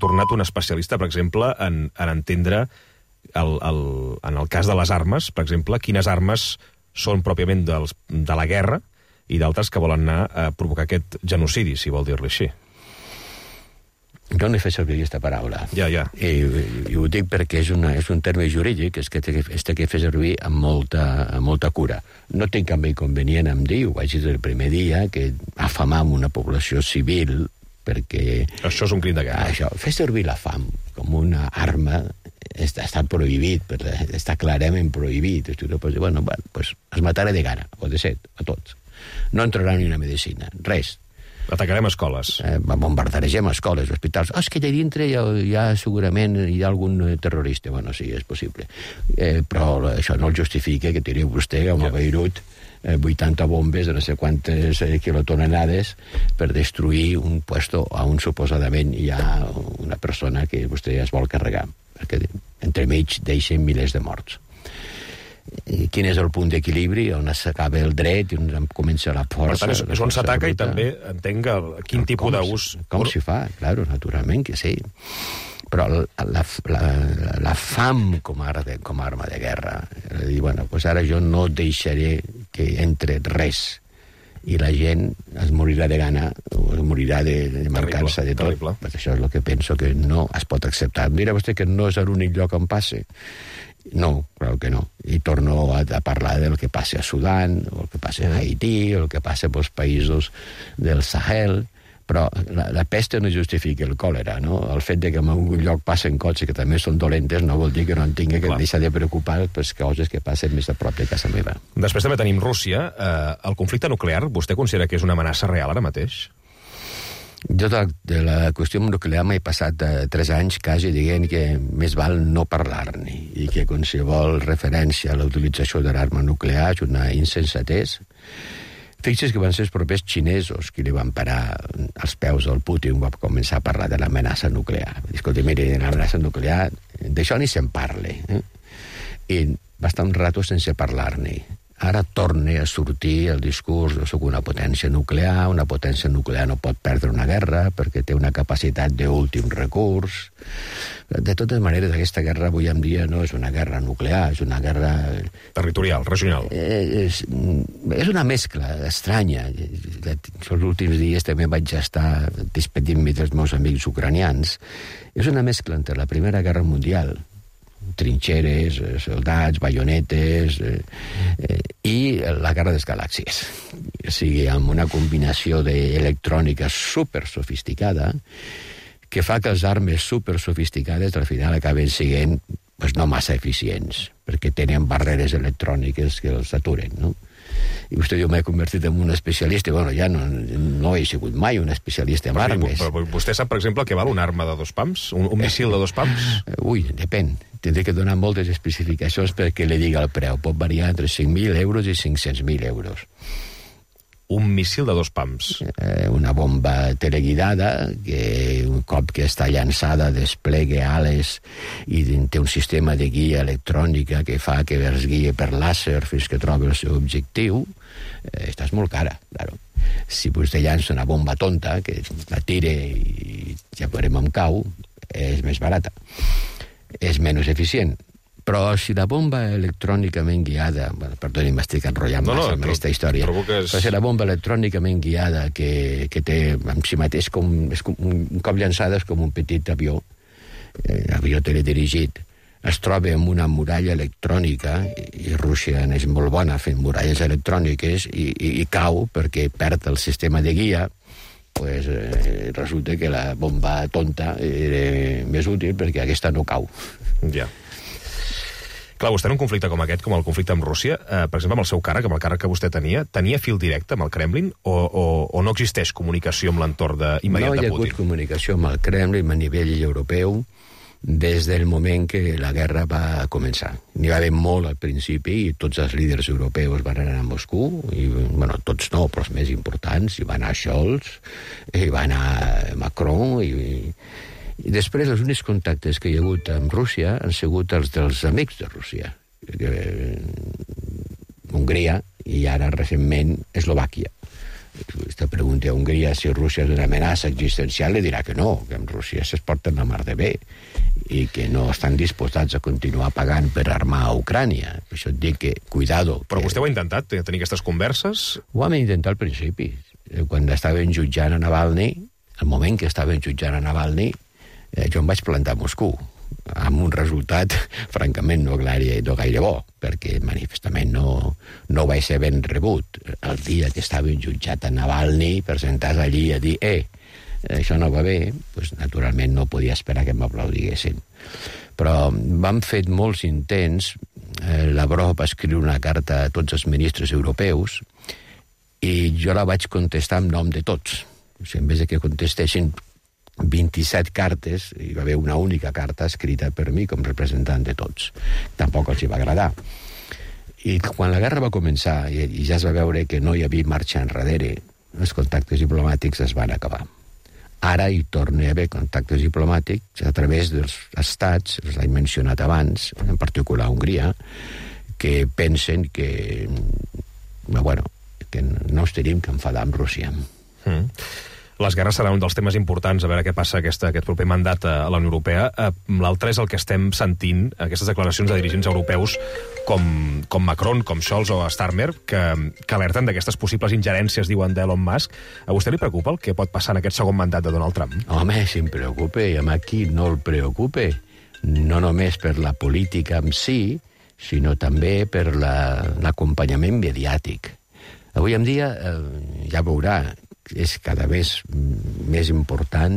tornat un especialista, per exemple, en entendre, en el cas de les armes, per exemple, quines armes són pròpiament de la guerra i d'altres que volen anar a provocar aquest genocidi, si vol dir-li així. Jo no he fet servir aquesta paraula. Ja. I ho dic perquè és un terme jurídic que té que fer servir amb molta cura. No tinc cap inconvenient en dir, ho vaig dir el primer dia, que afamam una població civil perquè... Això és un crim de guerra. Això, fer servir la fam com una arma està prohibit, està clarament prohibit. Tu no pots dir, bueno, pues es mataré de gana, o de set, a tots. No entrarà ni una medicina, res. Atacarem escoles. Bombardarem escoles, hospitals. És que allà dintre segurament hi ha algun terrorista. Bueno, sí, és possible. Però això no el justifica que tiri vostè com a Beirut 80 bombes de no sé quantes quilotonelades per destruir un puesto on suposadament hi ha una persona que vostè es vol carregar. Perquè entremig deixen milers de morts. Quin és el punt d'equilibri on s'acaba el dret i on comença la força. Per tant, és on s'ataca i també entenc quin tipus d'ús... Com s'hi fa, claro, naturalment que sí. Però la fam com a arma de guerra, dir, bueno, pues ara jo no deixaré que entre res i la gent es morirà de gana o es morirà de mancança de tot. Pues això és el que penso que no es pot acceptar. Mira vostè que no és l'únic lloc on passe. No, clar que no. I torno a parlar del que passa a Sudan, o el que passa a Haití, o el que passa pels països del Sahel, però la pesta no justifica el còlera, no? El fet de que en algun lloc passen coses que també són dolentes no vol dir que no en tingui que deixar de preocupar per coses que passen més a prop de casa meva. Després també tenim Rússia. El conflicte nuclear, vostè considera que és una amenaça real ara mateix? Jo de la qüestió nuclear m'he passat 3 anys quasi dient que més val no parlar-ne i que qualsevol referència a la utilització de l'arma nuclear és una insensatez. Fixi's que van ser els propers xinesos qui li van parar als peus al Putin, va començar a parlar de l'amenaça nuclear. Escolta, mire, l'amenaça nuclear, d'això ni se'n parle. I va estar un rato sense parlar-ne. Ara torna a sortir el discurs de soc una potència nuclear no pot perdre una guerra perquè té una capacitat d'últim recurs. De totes maneres, aquesta guerra avui en dia no és una guerra nuclear, és una guerra... territorial, regional. És una mescla estranya. Els últims dies també vaig estar despedint-me dels meus amics ucranians. És una mescla entre la Primera Guerra Mundial, trinxeres, soldats, baionetes, i la Guerra de les Galàxies. O sigui, amb una combinació d'electrònica supersofisticada que fa que les armes supersofisticades al final acaben sent no massa eficients, perquè tenen barreres electròniques que els aturen, no? I vostè diu, m'he convertit en un especialista. Bueno, ja no he sigut mai un especialista en armes. Però vostè sap, per exemple, què val una arma de 2 pams? Un missil de 2 pams? Ui, depèn. Tindré que donar moltes especificacions perquè li diga el preu. Pot variar entre 5.000 euros i 500.000 euros. Un missil de 2 pams. Una bomba teleguidada que un cop que està llançada desplega ales i té un sistema de guia electrònica que fa que es guia per làser fins que trobi el seu objectiu. Esta és molt cara, claro. Si vostè llança una bomba tonta que la tire i ja veurem on cau, és més barata. És menys eficient. Però si la bomba electrònicament guiada... Perdoni, m'estic enrotllant massa amb aquesta història. Però si la bomba electrònicament guiada que té en si mateix un cop llançada és com un petit avió teledirigit, es troba amb una muralla electrònica, i Rússia és molt bona fent muralles electròniques, i cau perquè perd el sistema de guia, pues resulta que la bomba tonta era més útil perquè aquesta no cau. Ja. Clar, vostè en un conflicte com aquest, com el conflicte amb Rússia, per exemple, amb el seu càrrec, amb el càrrec que vostè tenia fil directe amb el Kremlin o no existeix comunicació amb l'entorn immediat de Putin? No hi ha hagut comunicació amb el Kremlin a nivell europeu des del moment que la guerra va començar. N'hi va haver molt al principi i tots els líders europeus van anar a Moscou, i, bueno, tots no, però els més importants, hi va anar Scholz, hi va anar Macron, i després els únics contactes que hi ha hagut amb Rússia han sigut els dels amics de Rússia. Hongria i ara recentment Eslovàquia. Usted pregunta a Hongria si Rússia és una amenaça existencial, li dirà que no, que amb Rússia es porten la mar de bé i que no estan disposats a continuar pagant per armar a Ucrània. Per això et dic que, cuidado. Però vostè ho ha intentat, tenir aquestes converses? Ho vam intentar al principi. Quan estaven jutjant a Navalny, el moment que estaven jutjant a Navalny, jo em vaig plantar a Moscou, amb un resultat, francament, no gaire bo, perquè manifestament no vaig ser ben rebut. El dia que estaven jutjat a Navalny, presentar-se allí a dir això no va bé, doncs naturalment no podia esperar que m'aplaudiguessin. Però vam fer molts intents, Lavrov va escriure una carta a tots els ministres europeus i jo la vaig contestar en nom de tots. O sigui, en vez de que contestessin 27 cartes, hi va haver una única carta escrita per mi com representant de tots. Tampoc els hi va agradar. I quan la guerra va començar i ja es va veure que no hi havia marxa enrere, els contactes diplomàtics es van acabar. Ara hi torna a haver contactes diplomàtics a través dels estats, els he mencionat abans, en particular Hongria, que pensen que no ens tenim que enfadar amb Rússia. Les guerres seran un dels temes importants, a veure què passa aquest proper mandat a la Unió Europea. L'altre és el que estem sentint, aquestes declaracions de dirigents europeus com Macron, com Scholz o Starmer, que alerten d'aquestes possibles ingerències, diuen, d'Elon Musk. A vostè li preocupa el que pot passar en aquest segon mandat de Donald Trump? Home, sí em preocupa, i a qui no el preocupa. No només per la política en si, sinó també per l'acompanyament mediàtic. Avui en dia, ja veurà, és cada vegada més important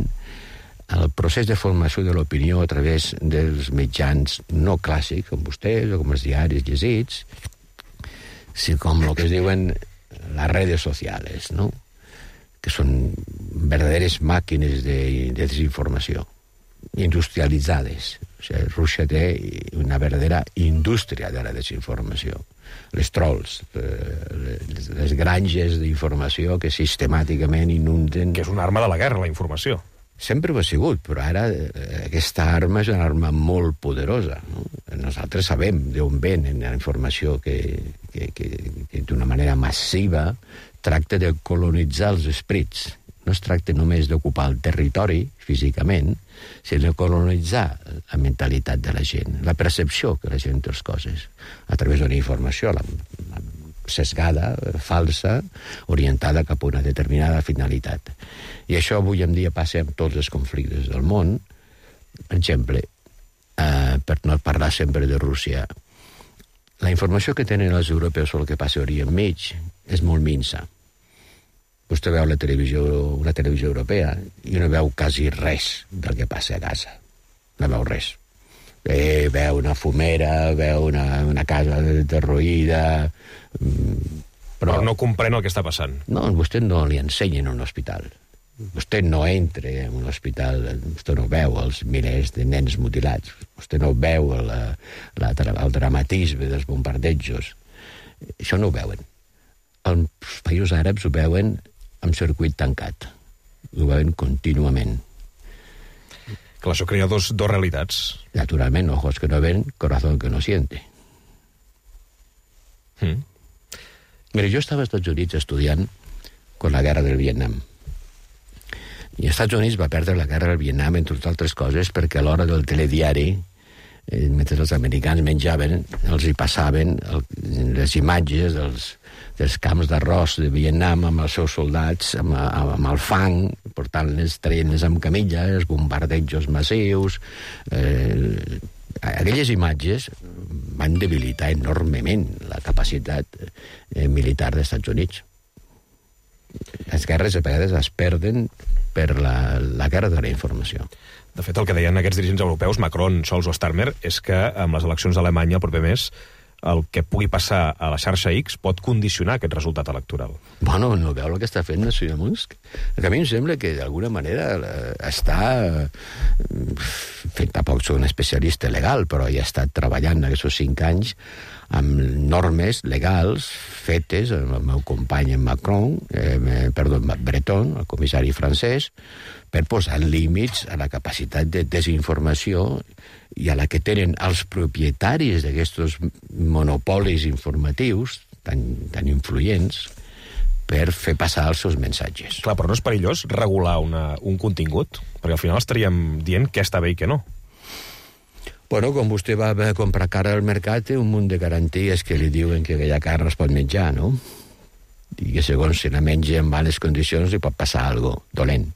el procés de formació de l'opinió a través dels mitjans no clàssics, com vostès o com els diaris llegits, com el que es diuen les redes socials, no? Que són verdaderes màquines de desinformació, industrialitzades. O sigui, Rússia té una verdadera indústria de la desinformació. Les trolls, les granges d'informació que sistemàticament inunden... Que és una arma de la guerra, la informació. Sempre ho ha sigut, però ara aquesta arma és una arma molt poderosa. No? Nosaltres sabem d'on ven la informació que d'una manera massiva tracta de colonitzar els esprits. No es tracta només d'ocupar el territori físicament, sinó de colonitzar la mentalitat de la gent, la percepció que la gent té les coses, a través d'una informació sesgada, falsa, orientada cap a una determinada finalitat. I això avui en dia passa amb tots els conflictes del món. Per exemple, per no parlar sempre de Rússia, la informació que tenen els europeus sobre el que passa a Orient Mig és molt minsa. Vostè veu una televisió europea i no veu quasi res del que passa a Gaza. No veu res. Veu una fumera, veu una casa derruïda... Però no comprèn el que està passant. No, vostè no li ensenya en un hospital. Vostè no entra en un hospital, vostè no veu els milers de nens mutilats, vostè no veu el dramatisme dels bombardejos. Això no ho veuen. Els països àrabs ho veuen amb circuit tancat. Ho veuen contínuament. Clar, això crea dos realitats. Naturalment, ojos que no ven, corazón que no siente. Mira, jo estava als Estats Units estudiant con la guerra del Vietnam. I els Estats Units va perdre la guerra del Vietnam, entre altres coses, perquè a l'hora del telediari, mentre els americans menjaven, els hi passaven les imatges dels camps d'arròs de Vietnam amb els seus soldats, amb el fang, portant-les, traient-les amb camilla, els bombardejos massius... Aquelles imatges van debilitar enormement la capacitat militar dels Estats Units. Les guerres a vegades es perden per la guerra de la informació. De fet, el que deien aquests dirigents europeus, Macron, Scholz o Starmer, és que amb les eleccions d'Alemanya el proper mes el que pugui passar a la xarxa X pot condicionar aquest resultat electoral. Bueno, no veu el que està fent el senyor Musk? A mi em sembla que d'alguna manera està fent, tampoc soc un especialista legal, però ja ha estat treballant aquests 5 anys amb normes legals fetes amb el meu company Breton, el comissari francès, per posar límits a la capacitat de desinformació i a la que tenen els propietaris d'aquests monopolis informatius tan influents per fer passar els seus missatges. Clar, però no és perillós regular un contingut? Perquè al final estaríem dient què està bé i què no. Bueno, quan vostè va a comprar carn al mercat, té un munt de garanties que li diuen que aquella carn es pot menjar, no? I que segons si la menja en males condicions li pot passar alguna cosa dolent.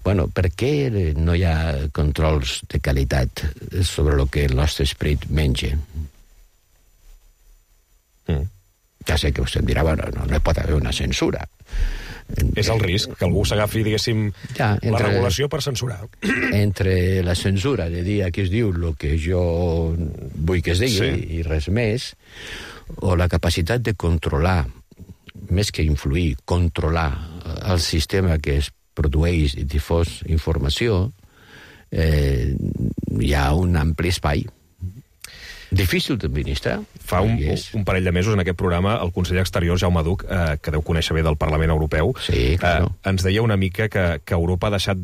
Bueno, per què no hi ha controls de qualitat sobre el que el nostre esperit menja? Ja sé que vostè em dirà, bueno, no hi pot haver una censura. És el risc, que algú s'agafi, diguéssim, la regulació per censurar. Entre la censura de dir aquí es diu el que jo vull que es digui i res més, o la capacitat de controlar, més que influir, controlar el sistema que es produeix i difós informació, hi ha un ampli espai. Difícil d'administrar. Fa un parell de mesos en aquest programa el conseller exterior, Jaume Duch, que deu conèixer bé del Parlament Europeu, ens deia una mica que Europa hauria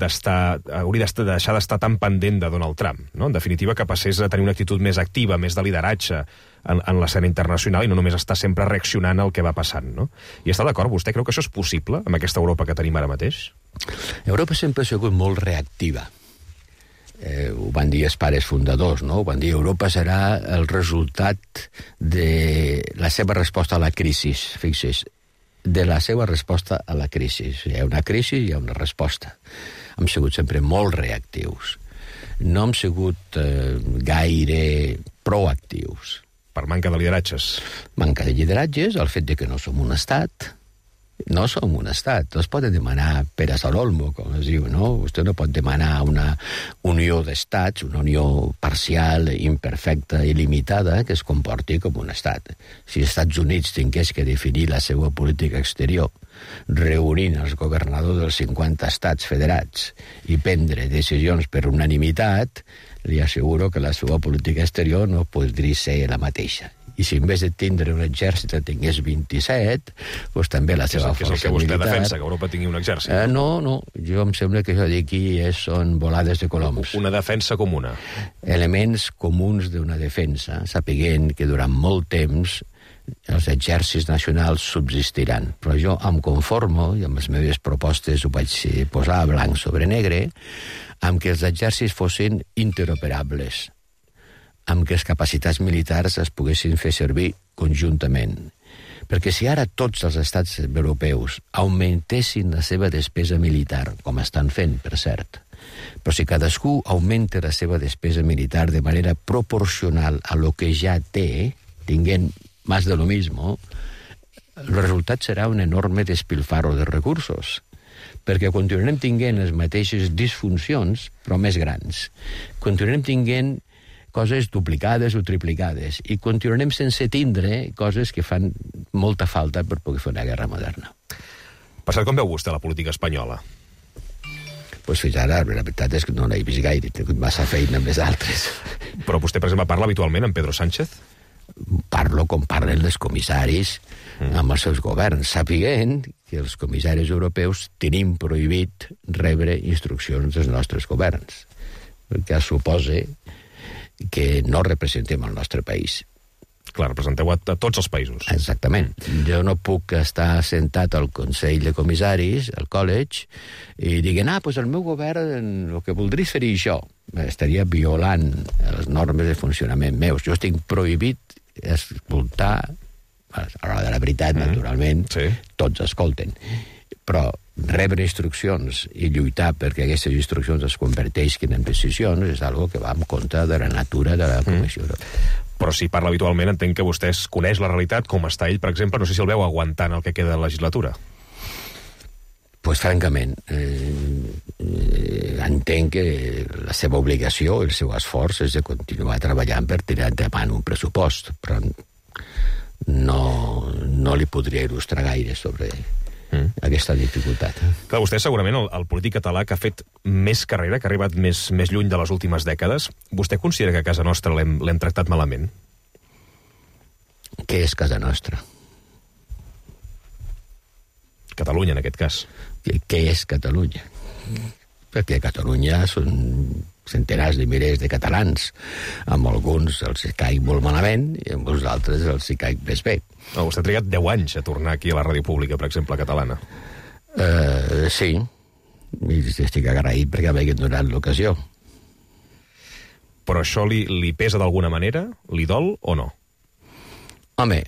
de deixar d'estar tan pendent de Donald Trump, no? En definitiva, que passés a tenir una actitud més activa, més de lideratge en l'escena internacional i no només estar sempre reaccionant al que va passant, no? I està d'acord? Vostè creu que això és possible amb aquesta Europa que tenim ara mateix? Europa sempre ha sigut molt reactiva. Ho van dir els pares fundadors, no? Ho van dir Europa serà el resultat de la seva resposta a la crisi, fixi's, de la seva resposta a la crisi. Hi ha una crisi i hi ha una resposta. Hem sigut sempre molt reactius. No hem sigut gaire proactius. Per manca de lideratges. Manca de lideratges, el fet de que no som un estat. No som un estat. No es pot demanar peras al olmo, com es diu, no? Vostè no pot demanar una unió d'estats, una unió parcial, imperfecta i limitada que es comporti com un estat. Si els Estats Units tingués que definir la seva política exterior reunint els governadors dels 50 estats federats i prendre decisions per unanimitat, li asseguro que la seva política exterior no podria ser la mateixa. I si en vez de tindre un exèrcit tingués 27, doncs també la seva força militar... Que és el que vostè defensa, que Europa tingui un exèrcit. No, jo em sembla que això d'aquí són volades de coloms. Una defensa comuna. Elements comuns d'una defensa, sapiguent que durant molt temps els exèrcits nacionals subsistiran. Però jo em conformo, i amb les meves propostes ho vaig posar blanc sobre negre, amb que els exèrcits fossin interoperables, amb que les capacitats militars es poguessin fer servir conjuntament. Perquè si ara tots els estats europeus augmentessin la seva despesa militar, com estan fent, per cert, però si cadascú augmenta la seva despesa militar de manera proporcional a lo que ja té, tinguent más de lo mismo, el resultat serà un enorme despilfarro de recursos, perquè continuarem tinguent les mateixes disfuncions, però més grans. Continuarem tinguent coses duplicades o triplicades, i continuarem sense tindre coses que fan molta falta per poder fer una guerra moderna. Per cert, com veu vostè la política espanyola? Pues fins ara, la veritat és que no l'he vist gaire, he tingut massa feina amb les altres. Però vostè, per exemple, parla habitualment amb Pedro Sánchez? Parlo com parlen els comissaris amb els seus governs, sapiguent que els comissaris europeus tenim prohibit rebre instruccions dels nostres governs, perquè suposa que no representem el nostre país. Clar, representeu a tots els països. Exactament. Jo no puc estar sentat al Consell de Comissaris, al college, i diguin, doncs el meu govern el que voldria fer això. Estaria violant les normes de funcionament meus. Jo estic prohibit escoltar, a l'hora de la veritat, naturalment, tots escolten, però rebre instruccions i lluitar perquè aquestes instruccions es converteixin en decisions és algo que va en contra de la natura de la Comissió Europea. Però si parla habitualment, entenc que vostè coneix la realitat, com està ell, per exemple, no sé si el veu aguantant el que queda de la legislatura. Pues francament, entenc que la seva obligació, el seu esforç és de continuar treballant per tirar endavant un pressupost, però no li podria il·lustrar gaire sobre aquesta dificultat. Clar, vostè segurament el polític català que ha fet més carrera, que ha arribat més lluny de les últimes dècades, vostè considera que a casa nostra l'hem tractat malament? Què és casa nostra? Catalunya, en aquest cas. Què és Catalunya? Perquè Catalunya són centenars de milers de catalans. Amb alguns els caic molt malament i amb uns altres els caic més bé. Vostè ha trigat 10 anys a tornar aquí a la ràdio pública, per exemple, catalana. Sí, i estic agraït perquè m'hagin donat l'ocasió. Però això li pesa d'alguna manera? Li dol o no? Home,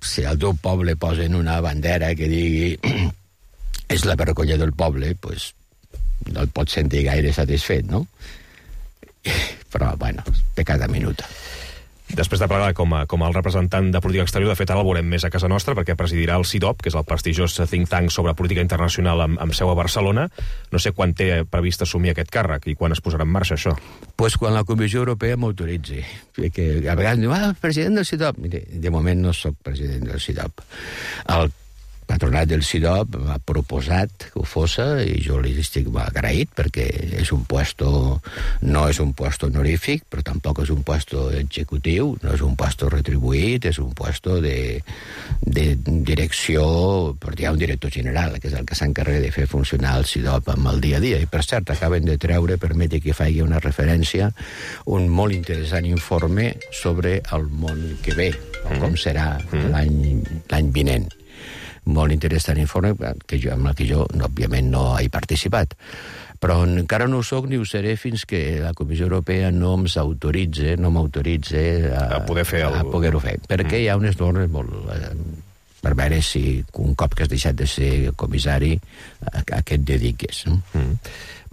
si al teu poble posen una bandera que digui és la vergonya del poble, doncs no et pots sentir gaire satisfet, no? Però, bueno, de cada minuta. Després de plegar com a el representant de política exterior, de fet ara el veurem més a casa nostra perquè presidirà el CIDOB, que és el prestigiós think tank sobre política internacional amb seu a Barcelona. No sé quan té previst assumir aquest càrrec i quan es posarà en marxa això. Pues quan la Comissió Europea m'autoritzi. Perquè a vegades diu, president del CIDOB. Mire, de moment no sóc president del CIDOB. El patronat del CIDOB m'ha proposat que ho fosse i jo li estic agraït perquè és un puesto, no és un puesto honorífic, però tampoc és un puesto executiu, no és un puesto retribuït, és un puesto de direcció, perquè hi ha un director general, que és el que s'encarrega de fer funcionar el CIDOB amb el dia a dia. I per cert, acaben de treure, permeti que faci una referència, un molt interessant informe sobre el món que ve, com serà l'any vinent. Molt interessant informe amb el que jo, òbviament, no he participat. Però encara no ho soc ni ho seré fins que la Comissió Europea no m'autoritzi a poder-ho fer. Perquè hi ha unes normes molt... per veure si un cop que has deixat de ser comissari a què et dediques.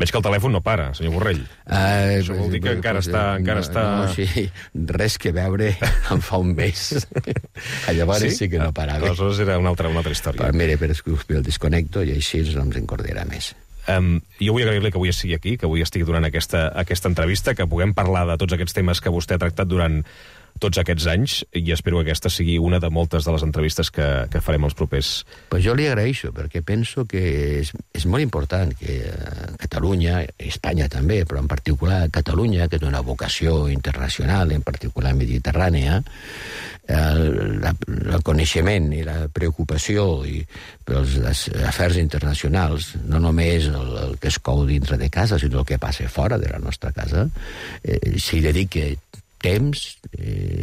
Veig que el telèfon no para, senyor Borrell. Això vol dir que encara està... No, sí, res que veure em fa un mes. Llavors sí que no parava. Aleshores era una altra història. Però mira, per el desconnecto i així no ens encordarà més. Jo vull agrair-li que avui sigui aquí, que avui estigui durant aquesta entrevista, que puguem parlar de tots aquests temes que vostè ha tractat durant tots aquests anys, i espero que aquesta sigui una de moltes de les entrevistes que farem els propers. Pues jo li agraeixo, perquè penso que és molt important que Catalunya, Espanya també, però en particular Catalunya, que té una vocació internacional, en particular mediterrània, el coneixement i la preocupació pels afers internacionals, no només el que es cou dintre de casa, sinó el que passa fora de la nostra casa, s'hi dedica temps,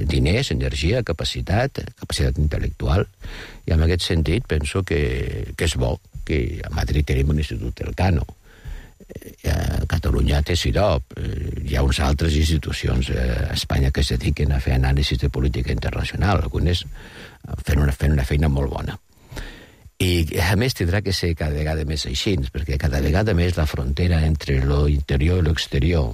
diners, energia, capacitat intel·lectual, i en aquest sentit penso que és bo que a Madrid tenim un institut Elcano, a Catalunya té CIDOB, hi ha unes altres institucions a Espanya que es dediquen a fer anàlisis de política internacional, algunes fent una feina molt bona. I, a més, tindrà que ser cada vegada més així, perquè cada vegada més la frontera entre l'interior i l'exterior,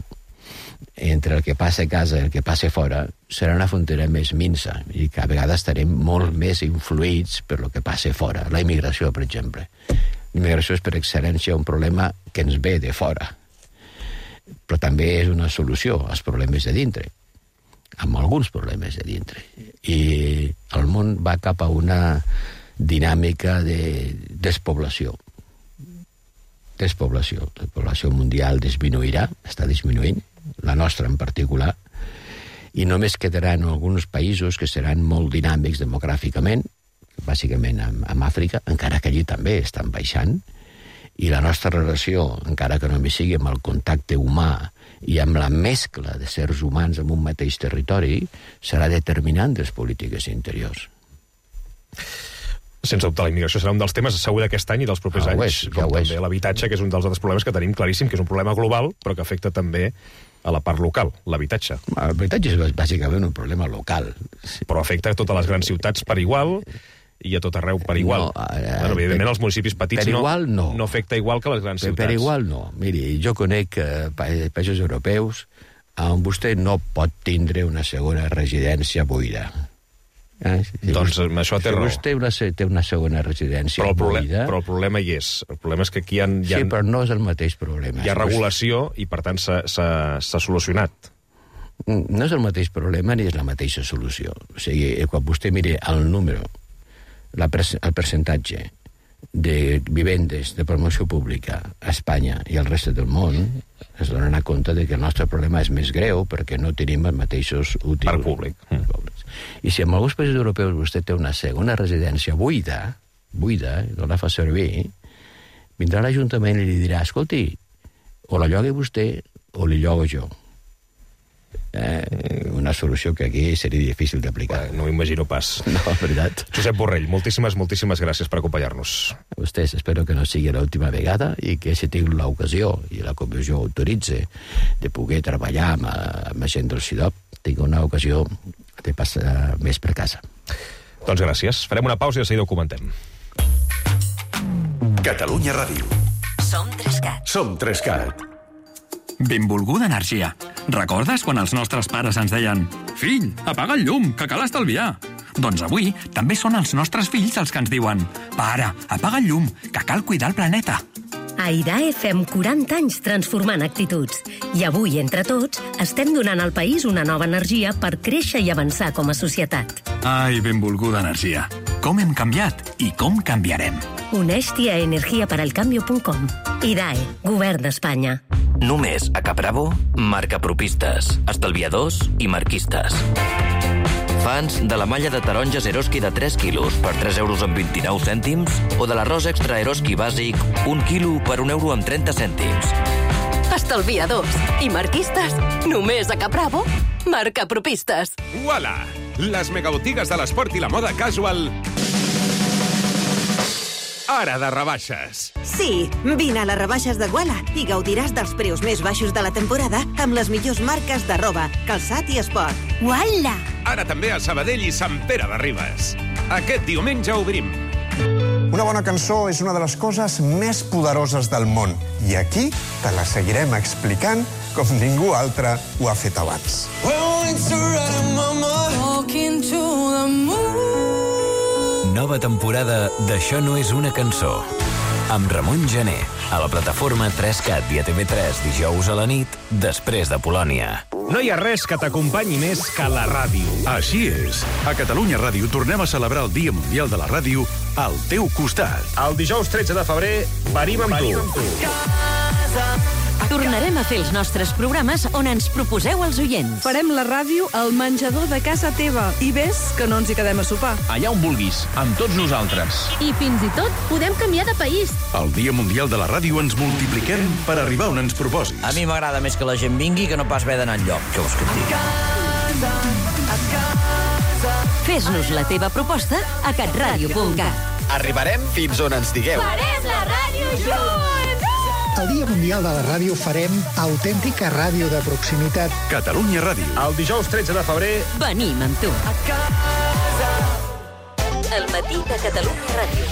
entre el que passa a casa i el que passa fora, serà una frontera més minsa i que a vegades estarem molt més influïts per el que passa fora. La immigració, per exemple. L'immigració és per excel·lència un problema que ens ve de fora, però també és una solució als problemes de dintre, amb alguns problemes de dintre. I el món va cap a una dinàmica de despoblació. La població mundial disminuirà, està disminuint, la nostra en particular, i només quedaran alguns països que seran molt dinàmics demogràficament, bàsicament amb Àfrica, encara que allí també estan baixant, i la nostra relació, encara que només sigui amb el contacte humà i amb la mescla de sers humans en un mateix territori, serà determinant de les polítiques interiors. Sense dubte, la immigració serà un dels temes segur d'aquest any i dels propers anys, com també l'habitatge, que és un dels altres problemes que tenim claríssim, que és un problema global, però que afecta també a la part local, l'habitatge. L'habitatge és bàsicament un problema local. Però afecta a totes les grans ciutats per igual i a tot arreu per igual. Evidentment, els municipis petits no afecta igual que les grans ciutats. Per igual no. Miri, jo conec països europeus on vostè no pot tindre una segona residència buida. Doncs això té raó. Si vostè té una segona residència buida... Però el problema hi és. El problema és que aquí hi ha... Sí, però no és el mateix problema. Hi ha regulació i, per tant, s'ha solucionat. No és el mateix problema ni és la mateixa solució. O sigui, quan vostè miri el número, el percentatge de vivendes de promoció pública a Espanya i al reste del món, es donen a compte de que el nostre problema és més greu perquè no tenim els mateixos útils. Parc públic. I si en alguns països europeus vostè té una segona residència buida, no la fa servir, vindrà l'Ajuntament i li dirà, escolti, o la llogui vostè o li llogo jo. Una solució que aquí seria difícil d'aplicar. No m'imagino pas. No, veritat. Josep Borrell, moltíssimes gràcies per acompanyar-nos. A vostès, espero que no sigui l'última vegada i que si tinc l'ocasió i la comissió autoritze de poder treballar amb gent del CIDOB, tinc una ocasió de passar més per casa. Doncs gràcies. Farem una pausa i de seguida ho comentem. Catalunya Ràdio. Som 3CAT. Som 3CAT. Benvolguda energia. Recordes quan els nostres pares ens deien «Fill, apaga el llum, que cal estalviar»? Doncs avui també són els nostres fills els que ens diuen «Pare, apaga el llum, que cal cuidar el planeta». A IDAE fem 40 anys transformant actituds. I avui, entre tots, estem donant al país una nova energia per créixer i avançar com a societat. Ai, benvolguda energia. Com hem canviat i com canviarem. Uneix-t'hi a energiaparalcambio.com. IDAE, Govern d'Espanya. Només a Capravo, marca propistes, estalviadors i marquistes. Fans de la malla de taronges Eroski de 3 quilos per 3,29 € o de l'arròs extra Eroski bàsic 1 quilo per 1,30 €. Estalviadors i marquistes, només a Capravo, marca propistes. Uala! Les megabotigues de l'esport i la moda casual ara de rebaixes. Sí, vine a les rebaixes de Guala i gaudiràs dels preus més baixos de la temporada amb les millors marques de roba, calçat i esport. Guala! Ara també a Sabadell i Sant Pere de Ribes. Aquest diumenge obrim. Una bona cançó és una de les coses més poderoses del món. I aquí te la seguirem explicant com ningú altre ho ha fet abans. Nova temporada d'Això no és una cançó. Amb Ramon Gené, a la plataforma 3CAT i a TV3 dijous a la nit, després de Polònia. No hi ha res que t'acompanyi més que la ràdio. Així és. A Catalunya Ràdio tornem a celebrar el Dia Mundial de la Ràdio al teu costat. El dijous 13 de febrer venim amb tu. Tornarem a fer els nostres programes on ens proposeu els oients. Farem la ràdio al menjador de casa teva. I ves que no ens hi quedem a sopar. Allà on vulguis, amb tots nosaltres. I fins i tot podem canviar de país. Al Dia Mundial de la Ràdio ens multipliquem per arribar on ens proposis. A mi m'agrada més que la gent vingui que no pas haver d'anar enlloc. Què vols que et digui? Fes-nos la teva proposta a catradio.cat. Arribarem fins on ens digueu. Farem la ràdio junts! El Dia Mundial de la Ràdio farem autèntica ràdio de proximitat. Catalunya Ràdio. El dijous 13 de febrer venim amb tu. El matí de Catalunya Ràdio.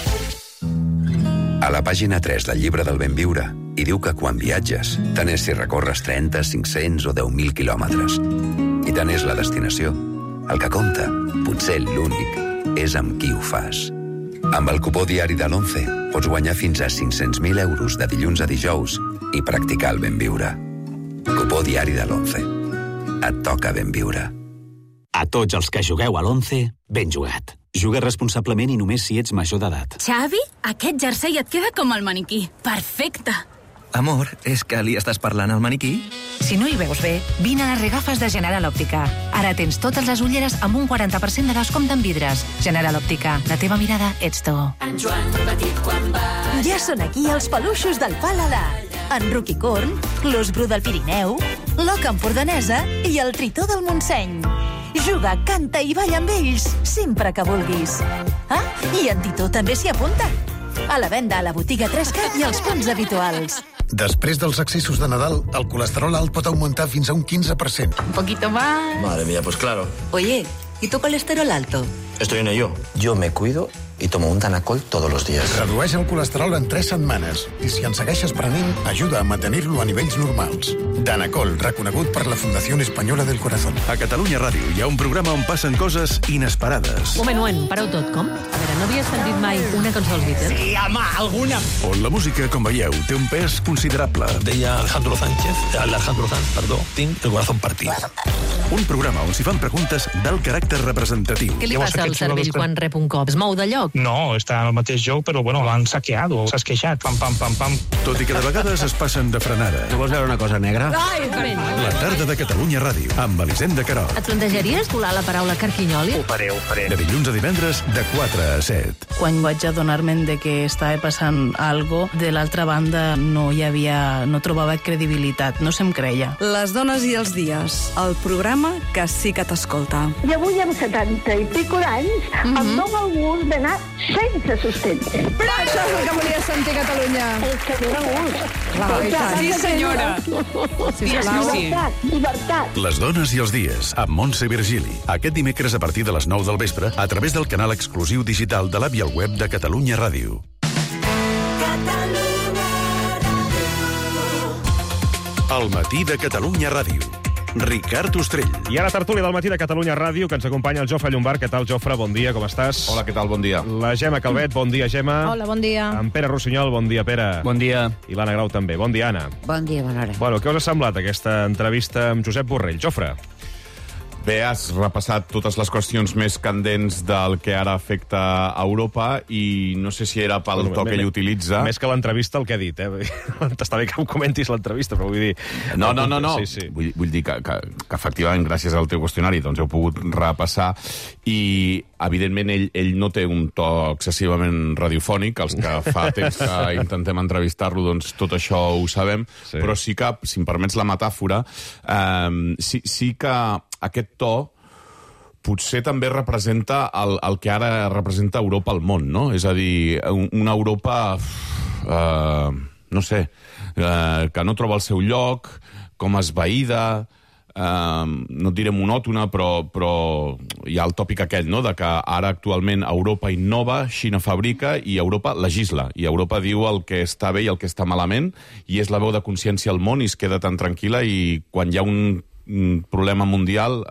A la pàgina 3 del llibre del ben viure hi diu que quan viatges, tant és si recorres 30, 500 o 10.000 quilòmetres. I tant és la destinació. El que compta, potser l'únic, és amb qui ho fas. Amb el cupó diari de l'11 pots guanyar fins a 500.000 euros de dilluns a dijous i practicar el ben viure. Cupó diari de l'11. Et toca ben viure. A tots els que jugueu a l'11, ben jugat. Juga responsablement i només si ets major d'edat. Xavi, aquest jersei et queda com el maniquí. Perfecte. Amor, és que li estàs parlant al maniquí? Si no hi veus bé, vine a les regafes de General Òptica. Ara tens totes les ulleres amb un 40% de descompte en vidres. General Òptica, la teva mirada ets tu. En Joan petit quan va... Ja són aquí els peluixos del Paladar. En Ruki Corn, l'os bru del Pirineu, l'oca empordanesa i el tritó del Montseny. Juga, canta i balla amb ells, sempre que vulguis. Ah, i en Titó també s'hi apunta. A la venda a la botiga 3CAT i als punts habituals. Després dels excessos de Nadal, el colesterol alt pot augmentar fins a un 15%. Un poquito más. Madre mía, pues claro. Oye, ¿y tu colesterol alto? Estoy en ello. Yo me cuido y tomo un Danacol todos los días. Redueix el colesterol en 3 setmanes i si en segueixes prenent, ajuda a mantenir-lo a nivells normals. Danacol, reconegut per la Fundació Espanyola del Corazón. A Catalunya Ràdio hi ha un programa on passen coses inesperades. Moment, pareu tot, com? A veure, no havies sentit mai una cançó dels Beatles? Sí, home, alguna. On la música, com veieu, té un pes considerable. Deia Alejandro Sanz, tinc el corazón partit. Un programa on s'hi fan preguntes d'alt caràcter representatiu. Què li passa al cervell quan rep un cop? Es mou de lloc? joc. No, està en el mateix joc, però bueno, l'han saqueado, s'ha esqueixat, pam, pam, pam, pam. Tot i que de vegades es passen de frenada. No vols veure una cosa negra? Ai, La tarda de Catalunya Ràdio, amb Elisenda Querol. Et plantejaries volar la paraula carquinyoli? Ho faré. De dilluns a divendres, de 4 a 7. Quan vaig adonar-me de que estava passant algo, de l'altra banda no trobava credibilitat, no se'm creia. Les dones i els dies, el programa que sí que t'escolta. I avui, amb 70 i pico d'anys, em dóna el gust d'anar sense sostens. Però això és el que volia sentir Catalunya. És que dóna gust. Sí, senyora. Llibertat. Les dones i els dies, amb Montse Virgili. Aquest dimecres a partir de les 9 del vespre, a través del canal exclusiu digital de l'app i el web de Catalunya Ràdio. El matí de Catalunya Ràdio. Ricard Ostrell. I ara tertúlia del matí de Catalunya Ràdio, que ens acompanya el Jofre Llombart. Què tal, Jofre? Bon dia, com estàs? Hola, què tal? Bon dia. La Gemma Calvet, bon dia, Gemma. Hola, bon dia. En Pere Rossinyol, bon dia, Pere. Bon dia. I l'Anna Grau també. Bon dia, Anna. Bon dia, bona hora. Bueno, què us ha semblat aquesta entrevista amb Josep Borrell? Jofre. Bé, has repassat totes les qüestions més candents del que ara afecta a Europa i no sé si era pel to que ell utilitza. Més que l'entrevista, el que ha dit, Està bé que ho comentis l'entrevista, però vull dir... No. Sí. Vull dir que efectivament, gràcies al teu qüestionari, doncs heu pogut repassar i, evidentment, ell no té un to excessivament radiofònic. Els que fa temps que intentem entrevistar-lo, doncs tot això ho sabem, però sí que, si em permets la metàfora, sí que aquest to potser també representa el que ara representa Europa al món, no? És a dir, una Europa, no sé, que no troba el seu lloc, com esvaïda, no et diré monòtona, però hi ha el tòpic aquell, no?, de que ara actualment Europa innova, Xina fabrica i Europa legisla. I Europa diu el que està bé i el que està malament, i és la veu de consciència al món i es queda tan tranquil·la, i quan hi ha un problema mundial,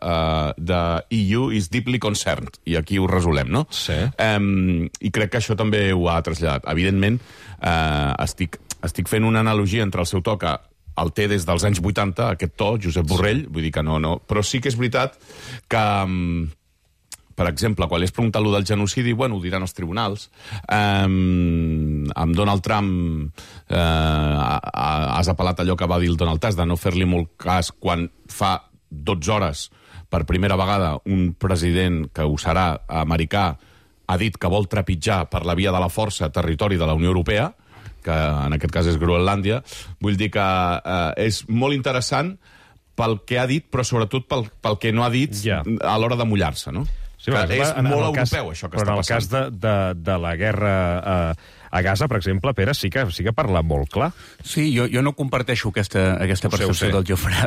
the EU is deeply concerned, i aquí ho resolem, no? Sí. I crec que això també ho ha traslladat. Evidentment, estic fent una analogia entre el seu to, que el té des dels anys 80, aquest to, Josep Borrell, vull dir que no, però sí que és veritat que, per exemple, quan li has preguntat allò del genocidi, bueno, ho diran els tribunals. Amb Donald Trump has apel·lat allò que va dir el Donald Tusk, de no fer-li molt cas quan fa 12 hores, per primera vegada, un president que ho serà americà ha dit que vol trepitjar per la via de la força territori de la Unió Europea, que en aquest cas és Groenlàndia. Vull dir que és molt interessant pel que ha dit, però sobretot pel que no ha dit a l'hora de mullar-se, no? Sí, és molt europeu, això que està passant. Però en el cas de la guerra a Gaza, per exemple, Pere, sí que parla molt clar. Sí, jo no comparteixo aquesta percepció del Jofre.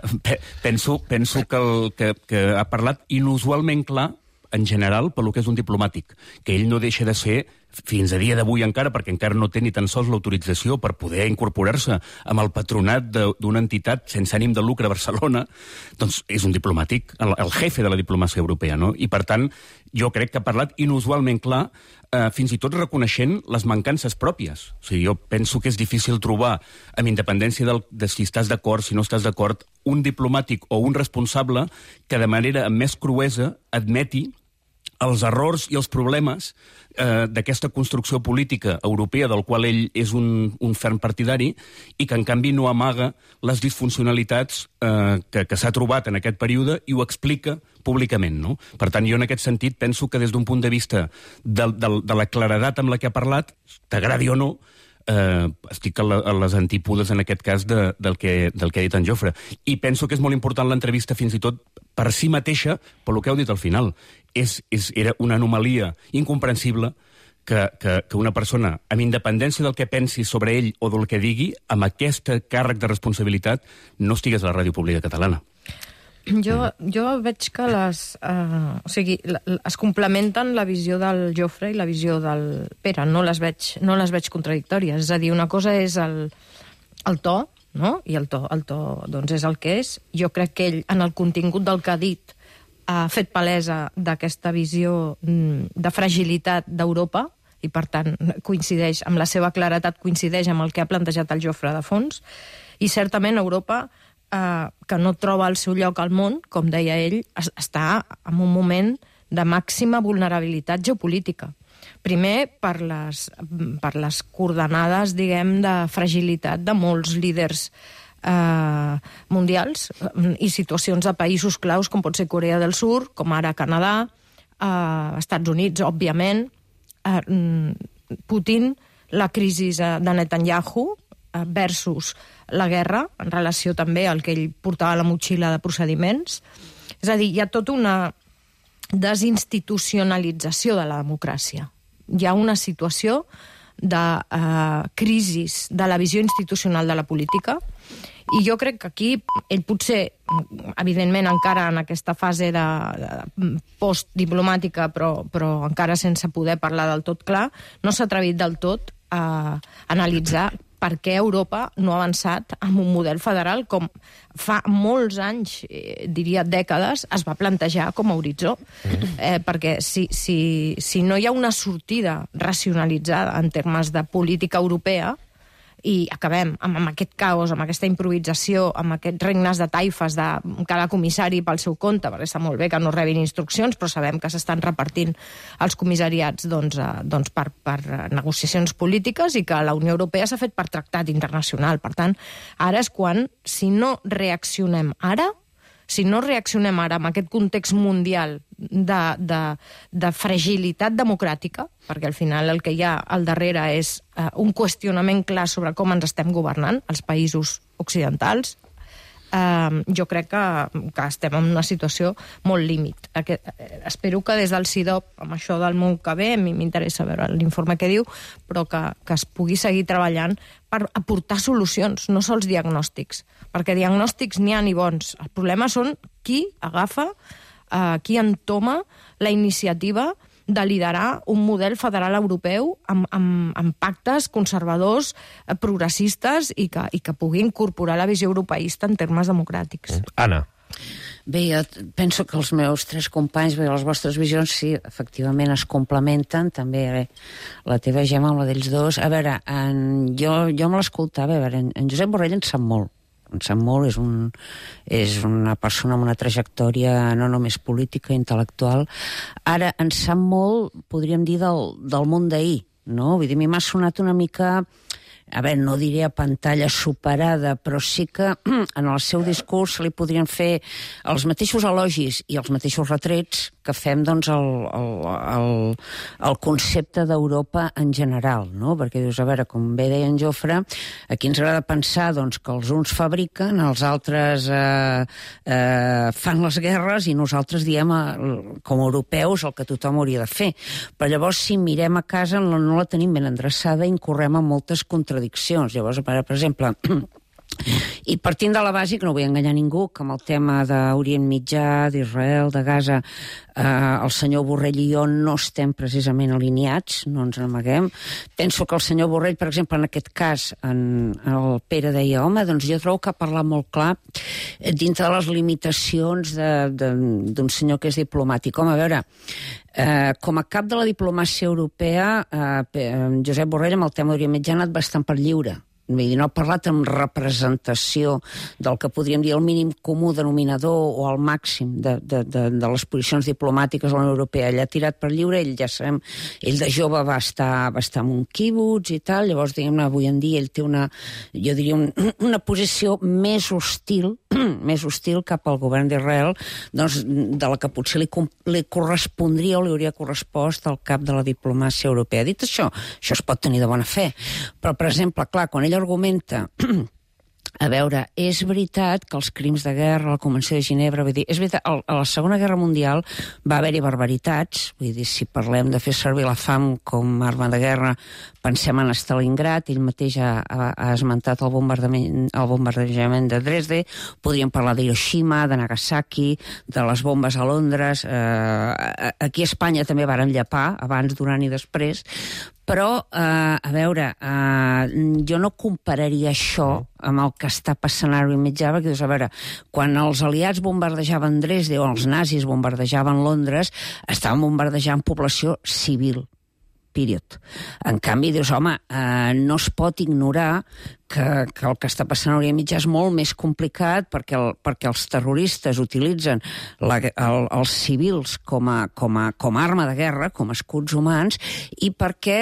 Penso que ha parlat inusualment clar, en general, pel que és un diplomàtic, que ell no deixa de ser, fins a dia d'avui encara, perquè encara no té ni tan sols l'autorització per poder incorporar-se amb el patronat d'una entitat sense ànim de lucre a Barcelona, doncs és un diplomàtic, el jefe de la diplomàcia europea, no? I, per tant, jo crec que ha parlat inusualment clar, fins i tot reconeixent les mancances pròpies. O sigui, jo penso que és difícil trobar, amb independència de si estàs d'acord, si no estàs d'acord, un diplomàtic o un responsable que de manera més cruesa admeti els errors i els problemes d'aquesta construcció política europea del qual ell és un ferm partidari i que, en canvi, no amaga les disfuncionalitats que s'ha trobat en aquest període i ho explica públicament, no? Per tant, jo en aquest sentit penso que des d'un punt de vista de la claredat amb la que ha parlat, t'agradi o no, estic a les antípodes, en aquest cas, del que ha dit en Jofre. I penso que és molt important l'entrevista, fins i tot per si mateixa, per lo que heu dit al final. Era una anomalia incomprensible que una persona, amb independència del que pensi sobre ell o del que digui, amb aquest càrrec de responsabilitat, no estigués a la ràdio pública catalana. Jo veig que es complementen la visió del Jofre i la visió del Pere. No les veig contradictòries. És a dir, una cosa és el to, no? I el to doncs és el que és. Jo crec que ell, en el contingut del que ha dit, ha fet palesa d'aquesta visió de fragilitat d'Europa i, per tant, coincideix amb la seva claretat, coincideix amb el que ha plantejat el Jofre de fons. I, certament, Europa, que no troba el seu lloc al món, com deia ell, està en un moment de màxima vulnerabilitat geopolítica. Primer, per les coordenades, diguem, de fragilitat de molts líders mundials i situacions de països claus, com pot ser Corea del Sur, com ara Canadà, Estats Units, òbviament, Putin, la crisi de Netanyahu versus la guerra, en relació també al que ell portava a la motxilla de procediments. És a dir, hi ha tota una desinstitucionalització de la democràcia. Hi ha una situació de crisi de la visió institucional de la política, i jo crec que aquí ell potser, evidentment encara en aquesta fase de postdiplomàtica, però encara sense poder parlar del tot clar, no s'ha atrevit del tot a analitzar per què Europa no ha avançat amb un model federal com fa molts anys, diria dècades, es va plantejar com a horitzó. Perquè si no hi ha una sortida racionalitzada en termes de política europea, i acabem amb aquest caos, amb aquesta improvisació, amb aquests regnes de taifes de cada comissari pel seu compte, perquè està molt bé que no rebin instruccions, però sabem que s'estan repartint els comissariats per negociacions polítiques i que la Unió Europea s'ha fet per tractat internacional. Per tant, ara és quan, si no reaccionem ara amb aquest context mundial de fragilitat democràtica, perquè al final el que hi ha al darrere és un qüestionament clar sobre com ens estem governant, els països occidentals, jo crec que estem en una situació molt límit. Espero que des del CIDOB, amb això del món que ve, a mi m'interessa veure l'informe que diu, però que es pugui seguir treballant per aportar solucions, no sols diagnòstics, perquè diagnòstics n'hi ha ni bons. El problema són qui agafa, qui entoma la iniciativa de liderar un model federal europeu amb pactes conservadors, progressistes i que pugui incorporar la visió europeista en termes democràtics. Anna. Bé, jo penso que els meus tres companys, bé, les vostres visions, sí, efectivament es complementen, també la teva, Gemma, amb la d'ells dos. A veure, jo me l'escoltava, a veure, en Josep Borrell en sap molt. En sap molt, és una persona amb una trajectòria no només política, intel·lectual. Ara, en sap molt, podríem dir, del món d'ahir, no? Vull dir, a mi m'ha sonat una mica, a veure, no diré a pantalla superada, però sí que en el seu discurs se li podrien fer els mateixos elogis i els mateixos retrets que fem, doncs, el concepte d'Europa en general, no? Perquè dius, a veure, com bé deia en Jofre, aquí ens agrada pensar, doncs, que els uns fabriquen, els altres fan les guerres i nosaltres diem, com a europeus, el que tothom hauria de fer. Però llavors, si mirem a casa, no la tenim ben endreçada i incorrem en moltes contradiccions. Llavors, per exemple, i partint de la base, que no vull enganyar ningú, que amb el tema d'Orient Mitjà, d'Israel, de Gaza, el senyor Borrell i jo no estem precisament alineats, no ens n'amaguem. Penso que el senyor Borrell, per exemple, en aquest cas, el Pere deia, home, doncs jo trobo que ha parlat molt clar dintre de les limitacions d'un senyor que és diplomàtic. Home, a veure, com a cap de la diplomàcia europea, Josep Borrell amb el tema d'Orient Mitjà ha anat bastant per lliure. Vull dir, no ha parlat amb representació del que podríem dir el mínim comú denominador o el màxim de les posicions diplomàtiques de la Unió Europea. Ell ha tirat per lliure, ell ja sabem, ell de jove va estar en un quibuts i tal, llavors, diguem-ne, avui en dia ell té jo diria, una posició més hostil cap al govern d'Israel, doncs, de la que potser li correspondria o li hauria correspost al cap de la diplomàcia europea. Dit això es pot tenir de bona fe, però, per exemple, clar, quan ell argumenta, a veure, és veritat que els crims de guerra, la Convenció de Ginebra, vull dir, és veritat, a la Segona Guerra Mundial va haver-hi barbaritats, vull dir, si parlem de fer servir la fam com a arma de guerra, pensem en Stalingrad, ell mateix ha esmentat el bombardejament de Dresde, podríem parlar d'Hiroshima, de Nagasaki, de les bombes a Londres, aquí a Espanya també varen llepar, abans, durant i després, però, a veure, jo no compararia això amb el que està passant ara Orient Mitjà, perquè dius, a veure, quan els aliats bombardejaven Dresde o els nazis bombardejaven Londres, estaven bombardejant població civil. Period. En canvi, dius, home, no es pot ignorar que el que està passant a Orient Mitjà és molt més complicat perquè els terroristes utilitzen els civils com a arma de guerra, com a escuts humans, i perquè,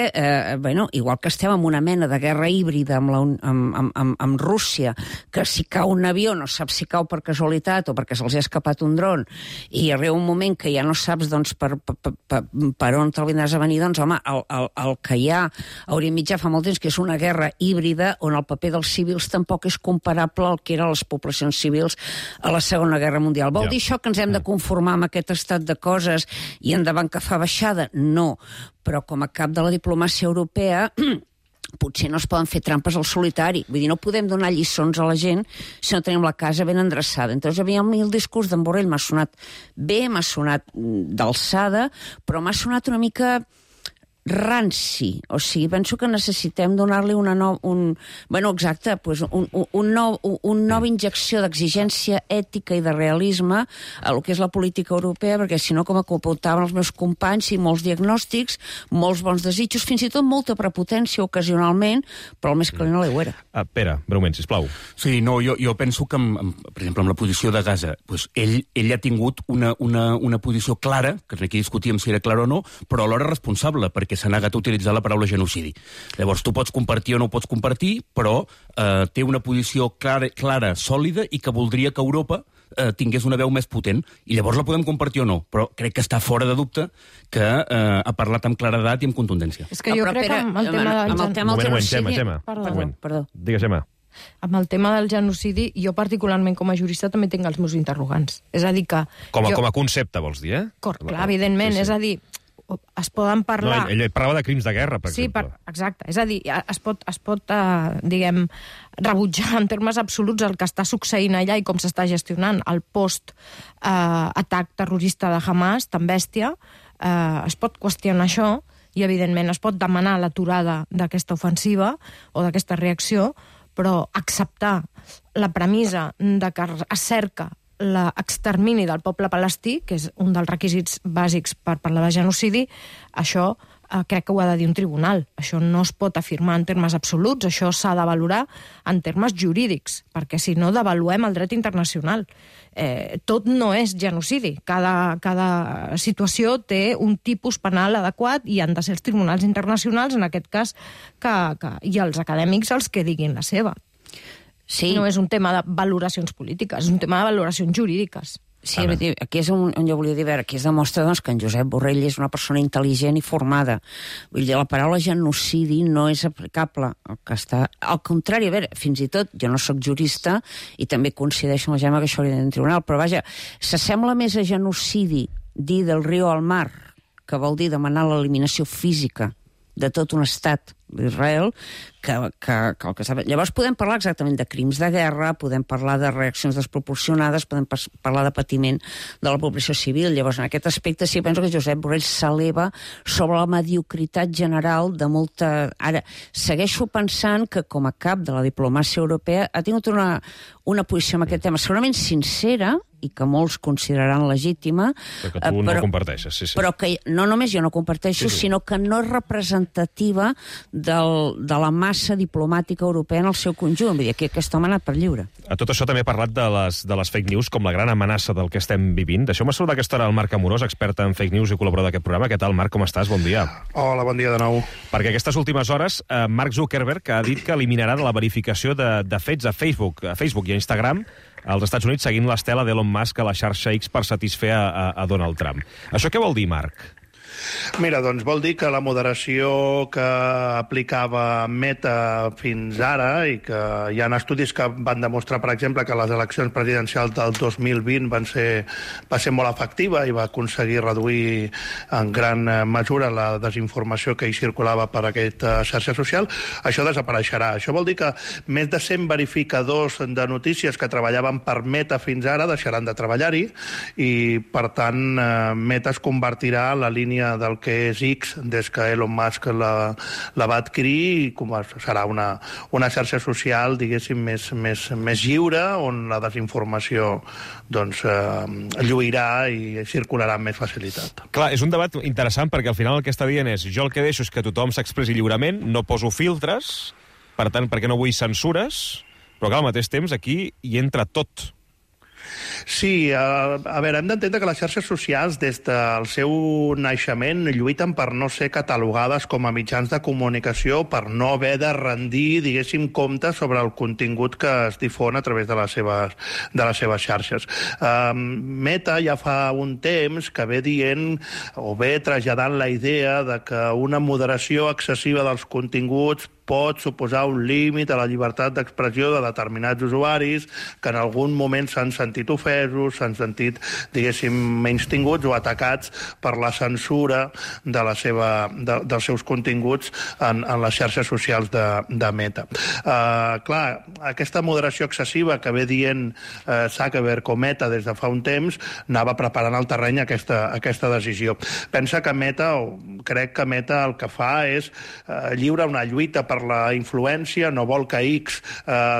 igual que estem en una mena de guerra híbrida amb Rússia, que si cau un avió no saps si cau per casualitat o perquè se'ls ha escapat un dron, i arriba un moment que ja no saps per on te'l vindràs a venir, doncs, home, el que hi ha a Orient Mitjà fa molt temps que és una guerra híbrida on el paper dels civils tampoc és comparable al que eren les poblacions civils a la Segona Guerra Mundial. Vol dir això que ens hem de conformar amb aquest estat de coses i endavant que fa baixada? No, però com a cap de la diplomàcia europea potser no es poden fer trampes al solitari. Vull dir, no podem donar lliçons a la gent si no tenim la casa ben endreçada. Entonces, a mi el discurs d'en Borrell m'ha sonat bé, m'ha sonat d'alçada, però m'ha sonat una mica ranci. O sigui, penso que necessitem donar-li una nova injecció d'exigència ètica i de realisme a lo que és la política europea, perquè si no, com apuntaven els meus companys, i molts diagnòstics, molts bons desitjos, fins i tot molta prepotència ocasionalment, però el més calent a l'aigüera. Pere, breument, sisplau. Sí, no, jo penso que, per exemple, amb la posició de Gaza, doncs ell ha tingut una posició clara, que aquí discutíem si era clara o no, però alhora responsable, perquè s'ha negat a utilitzar la paraula genocidi. Llavors, tu pots compartir o no pots compartir, però té una posició clara, sòlida, i que voldria que Europa tingués una veu més potent. I llavors la podem compartir o no, però crec que està fora de dubte que ha parlat amb claredat i amb contundència. És que jo crec que amb el tema del genocidi... Perdó. Digues, Gemma. Amb el tema del genocidi, jo particularment com a jurista també tinc els meus interrogants. És a dir que... Com a concepte, vols dir, eh? Clar, evidentment. És a dir, es poden parlar... No, ell parlava de crims de guerra, per exemple. Exacte. És a dir, es pot diguem, rebutjar en termes absoluts el que està succeint allà i com s'està gestionant el post-atac terrorista de Hamas, tan bèstia. Es pot qüestionar això i, evidentment, es pot demanar l'aturada d'aquesta ofensiva o d'aquesta reacció, però acceptar la premissa de que es cerca l'extermini del poble palestí, que és un dels requisits bàsics per parlar de genocidi, això crec que ho ha de dir un tribunal. Això no es pot afirmar en termes absoluts, això s'ha de valorar en termes jurídics, perquè si no devaluem el dret internacional. Tot no és genocidi. Cada situació té un tipus penal adequat i han de ser els tribunals internacionals, en aquest cas, i els acadèmics els que diguin la seva. Sí. No és un tema de valoracions polítiques, és un tema de valoracions jurídiques. Sí, aquí és on jo volia dir, aquí es demostra que en Josep Borrell és una persona intel·ligent i formada. Vull dir, la paraula genocidi no és aplicable al que està... Al contrari, a veure, fins i tot, jo no sóc jurista i també coincideixo amb la Gemma que això hauria d'anar en tribunal, però vaja, s'assembla més a genocidi dir del riu al mar, que vol dir demanar l'eliminació física de tot un estat d'Israel, que el que està... Llavors podem parlar exactament de crims de guerra, podem parlar de reaccions desproporcionades, podem parlar de patiment de la població civil. Llavors, en aquest aspecte sí penso que Josep Borrell s'eleva sobre la mediocritat general de molta... Ara, segueixo pensant que com a cap de la diplomàcia europea ha tingut una posició en aquest tema segurament sincera, i que molts consideraran legítima. Però que tu no comparteixes, sí. Però que no només jo no comparteixo, sinó que no és representativa de la massa diplomàtica europea en el seu conjunt. Vull dir, que aquest home ha anat per lliure. A tot això també ha parlat de les fake news com la gran amenaça del que estem vivint. Deixeu-me saludar aquesta hora el Marc Amorós, expert en fake news i col·laborador d'aquest programa. Què tal, Marc? Com estàs? Bon dia. Hola, bon dia de nou. Perquè aquestes últimes hores, Mark Zuckerberg ha dit que eliminarà de la verificació de fets a Facebook i a Instagram als Estats Units seguint l'estela d'Elon Musk a la xarxa X per satisfer a Donald Trump. Això què vol dir, Marc? Mira, doncs vol dir que la moderació que aplicava Meta fins ara, i que hi ha estudis que van demostrar, per exemple, que les eleccions presidencials del 2020 va ser molt efectiva i va aconseguir reduir en gran mesura la desinformació que hi circulava per aquesta xarxa social, això desapareixerà. Això vol dir que més de 100 verificadors de notícies que treballaven per Meta fins ara deixaran de treballar-hi i, per tant, Meta es convertirà en la línia del que és X des que Elon Musk la va adquirir i serà una xarxa social, diguéssim, més lliure, on la desinformació lluirà i circularà amb més facilitat. Clar, és un debat interessant perquè al final el que està dient és jo el que deixo és que tothom s'expressi lliurement, no poso filtres, per tant, perquè no vull censures, però que al mateix temps aquí hi entra tot. Sí, a veure, hem d'entendre que les xarxes socials, des del seu naixement, lluiten per no ser catalogades com a mitjans de comunicació, per no haver de rendir, diguéssim, comptes sobre el contingut que es difon a través de les seves xarxes. Meta ja fa un temps que ve dient, o ve traslladant la idea de que una moderació excessiva dels continguts pot suposar un límit a la llibertat d'expressió de determinats usuaris que en algun moment s'han sentit ofesos, s'han sentit, diguéssim, menystinguts o atacats per la censura dels seus continguts en les xarxes socials de Meta. Clar, aquesta moderació excessiva que ve dient Zuckerberg o Meta des de fa un temps anava preparant el terreny a aquesta decisió. Pensa que Meta, o crec que Meta el que fa és lliurar una lluita per la influència, no vol que X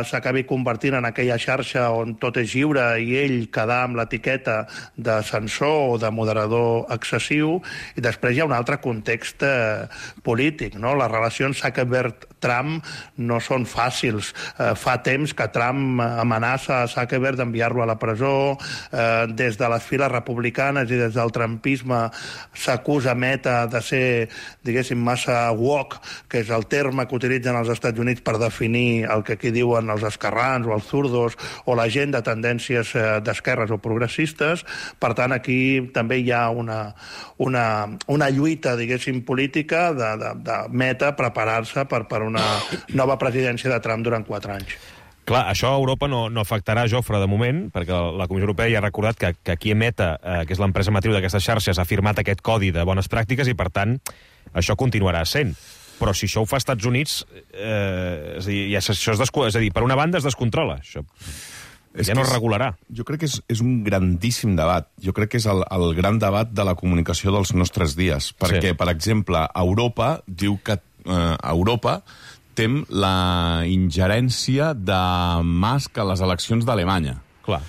s'acabi convertint en aquella xarxa on tot és lliure i ell quedar amb l'etiqueta de censor o de moderador excessiu, i després hi ha un altre context polític, no? Les relacions Zuckerberg-Trump no són fàcils. Fa temps que Trump amenaça a Zuckerberg d'enviar-lo a la presó, des de les files republicanes i des del trumpisme s'acusa Meta de ser, diguéssim, massa woke, que és el terme que utilitzen als Estats Units per definir el que aquí diuen els esquerrans o els zurdos o la gent de tendències d'esquerres o progressistes. Per tant, aquí també hi ha una lluita, diguéssim, política de Meta preparar-se per una nova presidència de Trump durant 4 anys. Clar, això a Europa no afectarà, Jofre, de moment, perquè la Comissió Europea ja ha recordat que aquí Meta, que és l'empresa matriu d'aquestes xarxes, ha firmat aquest codi de bones pràctiques i, per tant, això continuarà sent. Però si això ho fa als Estats Units, és a dir, per una banda es descontrola, això. Ja no es regularà. Jo crec que és un grandíssim debat. Jo crec que és el gran debat de la comunicació dels nostres dies. Perquè, per exemple, Europa diu que Europa tem la ingerència de Musk a les eleccions d'Alemanya. Clar,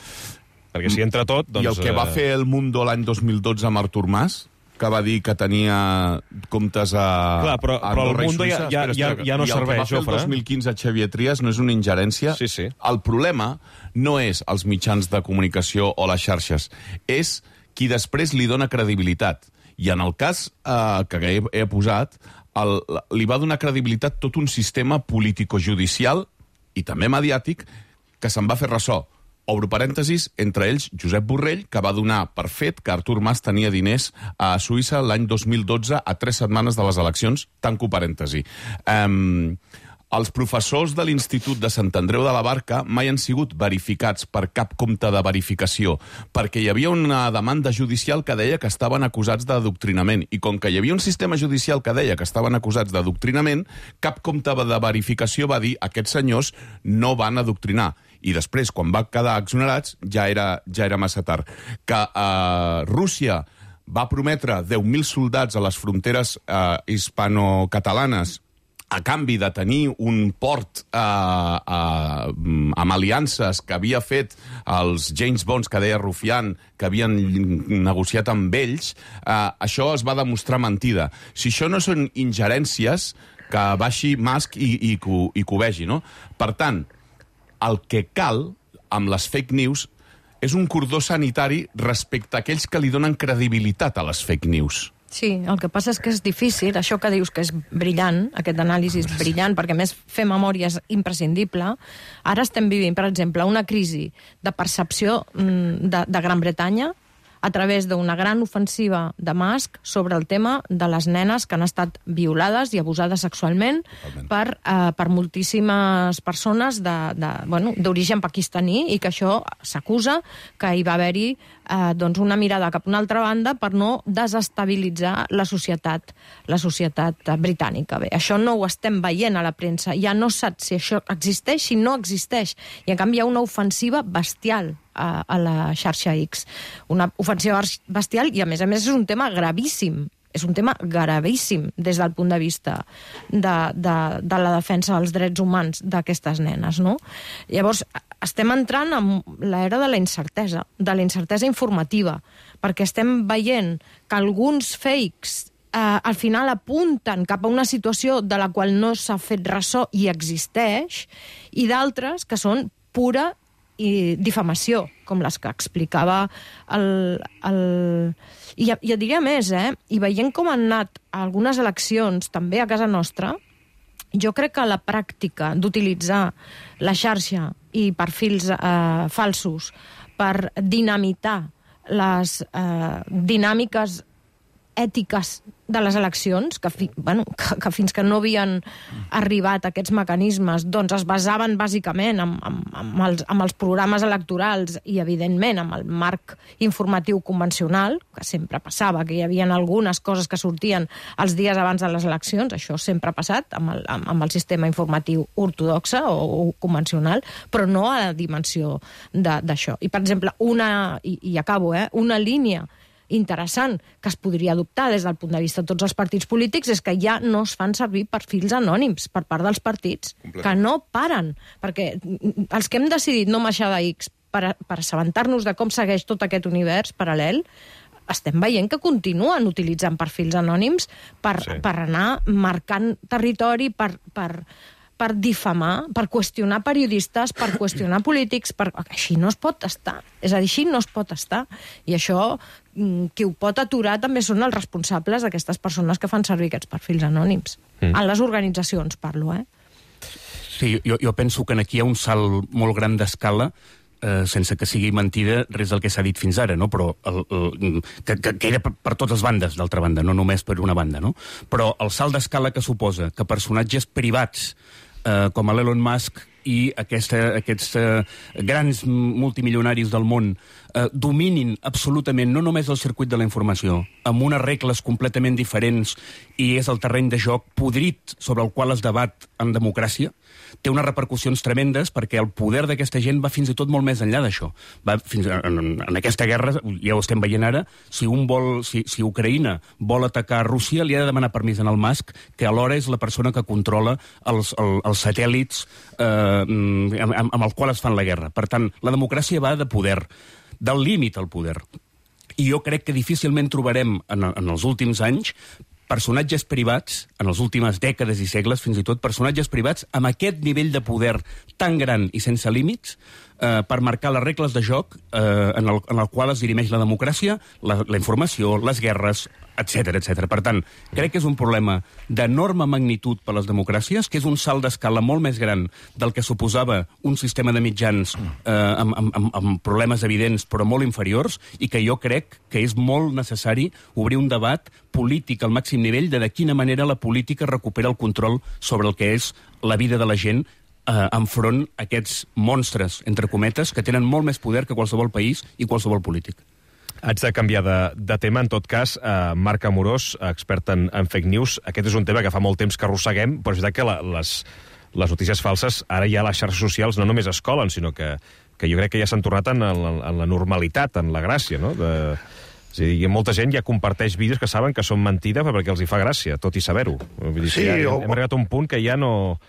perquè si entra tot... I el que va fer El Mundo l'any 2012 amb Artur Mas, que va dir que tenia comptes a... Clar, però El Mundo ja no serveix, Jofre. I el que va fer el 2015 Xavier Trias no és una ingerència. Sí, sí. El problema no és els mitjans de comunicació o les xarxes, és qui després li dona credibilitat. I en el cas que he posat, li va donar credibilitat tot un sistema político-judicial i també mediàtic que se'n va fer ressò. Obro parèntesis, entre ells Josep Borrell, que va donar per fet que Artur Mas tenia diners a Suïssa l'any 2012 a 3 setmanes de les eleccions, tanco parèntesi. Els professors de l'Institut de Sant Andreu de la Barca mai han sigut verificats per cap compte de verificació, perquè hi havia una demanda judicial que deia que estaven acusats d'adoctrinament, i com que hi havia un sistema judicial que deia que estaven acusats d'adoctrinament, cap compte de verificació va dir aquests senyors no van adoctrinar. I després, quan va quedar exonerats, ja era massa tard. Que Rússia va prometre 10.000 soldats a les fronteres hispano-catalanes a canvi de tenir un port amb aliances que havia fet els James Bonds, que deia Rufián, que havien negociat amb ells, això es va demostrar mentida. Si això no són ingerències, que baixi Musk i que ho vegi, no? Per tant, el que cal amb les fake news és un cordó sanitari respecte a aquells que li donen credibilitat a les fake news. Sí, el que passa és que és difícil, això que dius que és brillant, aquest anàlisi és brillant, perquè a més fer memòria és imprescindible. Ara estem vivint, per exemple, una crisi de percepció de Gran Bretanya a través d'una gran ofensiva de Musk sobre el tema de les nenes que han estat violades i abusades sexualment per moltíssimes persones d'origen pakistaní, i que això s'acusa que hi va haver-hi una mirada cap a una altra banda per no desestabilitzar la societat britànica. Bé, això no ho estem veient a la premsa, ja no saps si això existeix, si no existeix, i en canvi hi ha una ofensiva bestial a la xarxa X. Una ofensiva bestial, i a més és un tema gravíssim. És un tema gravíssim des del punt de vista de la defensa dels drets humans d'aquestes nenes, no? Llavors, estem entrant en l'era de la incertesa informativa, perquè estem veient que alguns fakes al final apunten cap a una situació de la qual no s'ha fet ressò i existeix, i d'altres que són pura difamació, com les que explicava I jo diria més, i veient com han anat algunes eleccions, també a casa nostra, jo crec que la pràctica d'utilitzar la xarxa i perfils falsos per dinamitar les dinàmiques ètiques de les eleccions, que fins que no havien arribat aquests mecanismes, doncs es basaven bàsicament amb els programes electorals i, evidentment, amb el marc informatiu convencional, que sempre passava, que hi havia algunes coses que sortien els dies abans de les eleccions, això sempre ha passat amb el sistema informatiu ortodoxe o convencional, però no a la dimensió d'això. I, per exemple, i acabo, una línia interessant que es podria adoptar des del punt de vista de tots els partits polítics és que ja no es fan servir perfils anònims per part dels partits, que no paren, perquè els que hem decidit no marxar d'X per assabentar-nos de com segueix tot aquest univers paral·lel, estem veient que continuen utilitzant perfils anònims per anar marcant territori, per difamar, per qüestionar periodistes, per qüestionar polítics, així no es pot estar. És a dir, així no es pot estar. I això, qui ho pot aturar també són els responsables d'aquestes persones que fan servir aquests perfils anònims. En les organitzacions, parlo, Sí, jo penso que aquí hi ha un salt molt gran d'escala, sense que sigui mentida res del que s'ha dit fins ara, no? Però que era per totes bandes, d'altra banda, no només per una banda, no? Però el salt d'escala que suposa que personatges privats com l'Elon Musk i aquests grans multimilionaris del món dominin absolutament no només el circuit de la informació, amb unes regles completament diferents, i és el terreny de joc podrit sobre el qual es debat en democràcia, té unes repercussions tremendes, perquè el poder d'aquesta gent va fins i tot molt més enllà d'això. En aquesta guerra, ja ho estem veient ara, si Ucraïna vol atacar Rússia, li ha de demanar permís al Musk, que alhora és la persona que controla els satèl·lits amb els quals es fan la guerra. Per tant, la democràcia va de poder, del límit al poder. I jo crec que difícilment trobarem en els últims anys personatges privats, en les últimes dècades i segles, fins i tot personatges privats amb aquest nivell de poder tan gran i sense límits per marcar les regles de joc en el qual es dirimeix la democràcia, la informació, les guerres, etc. Per tant, crec que és un problema d'enorme magnitud per a les democràcies, que és un salt d'escala molt més gran del que suposava un sistema de mitjans amb problemes evidents però molt inferiors, i que jo crec que és molt necessari obrir un debat polític al màxim nivell de quina manera la política recupera el control sobre el que és la vida de la gent enfront a aquests monstres, entre cometes, que tenen molt més poder que qualsevol país i qualsevol polític. Haig de canviar de tema, en tot cas. Marc Amorós, expert en fake news. Aquest és un tema que fa molt temps que arrosseguem, però és veritat que les notícies falses ara ja a les xarxes socials no només es colen, sinó que jo crec que ja s'han tornat en la normalitat, en la gràcia, no? És a dir, molta gent ja comparteix vídeos que saben que són mentida perquè els hi fa gràcia, tot i saber-ho. Vull dir, sí, hem arribat a un punt que ja no...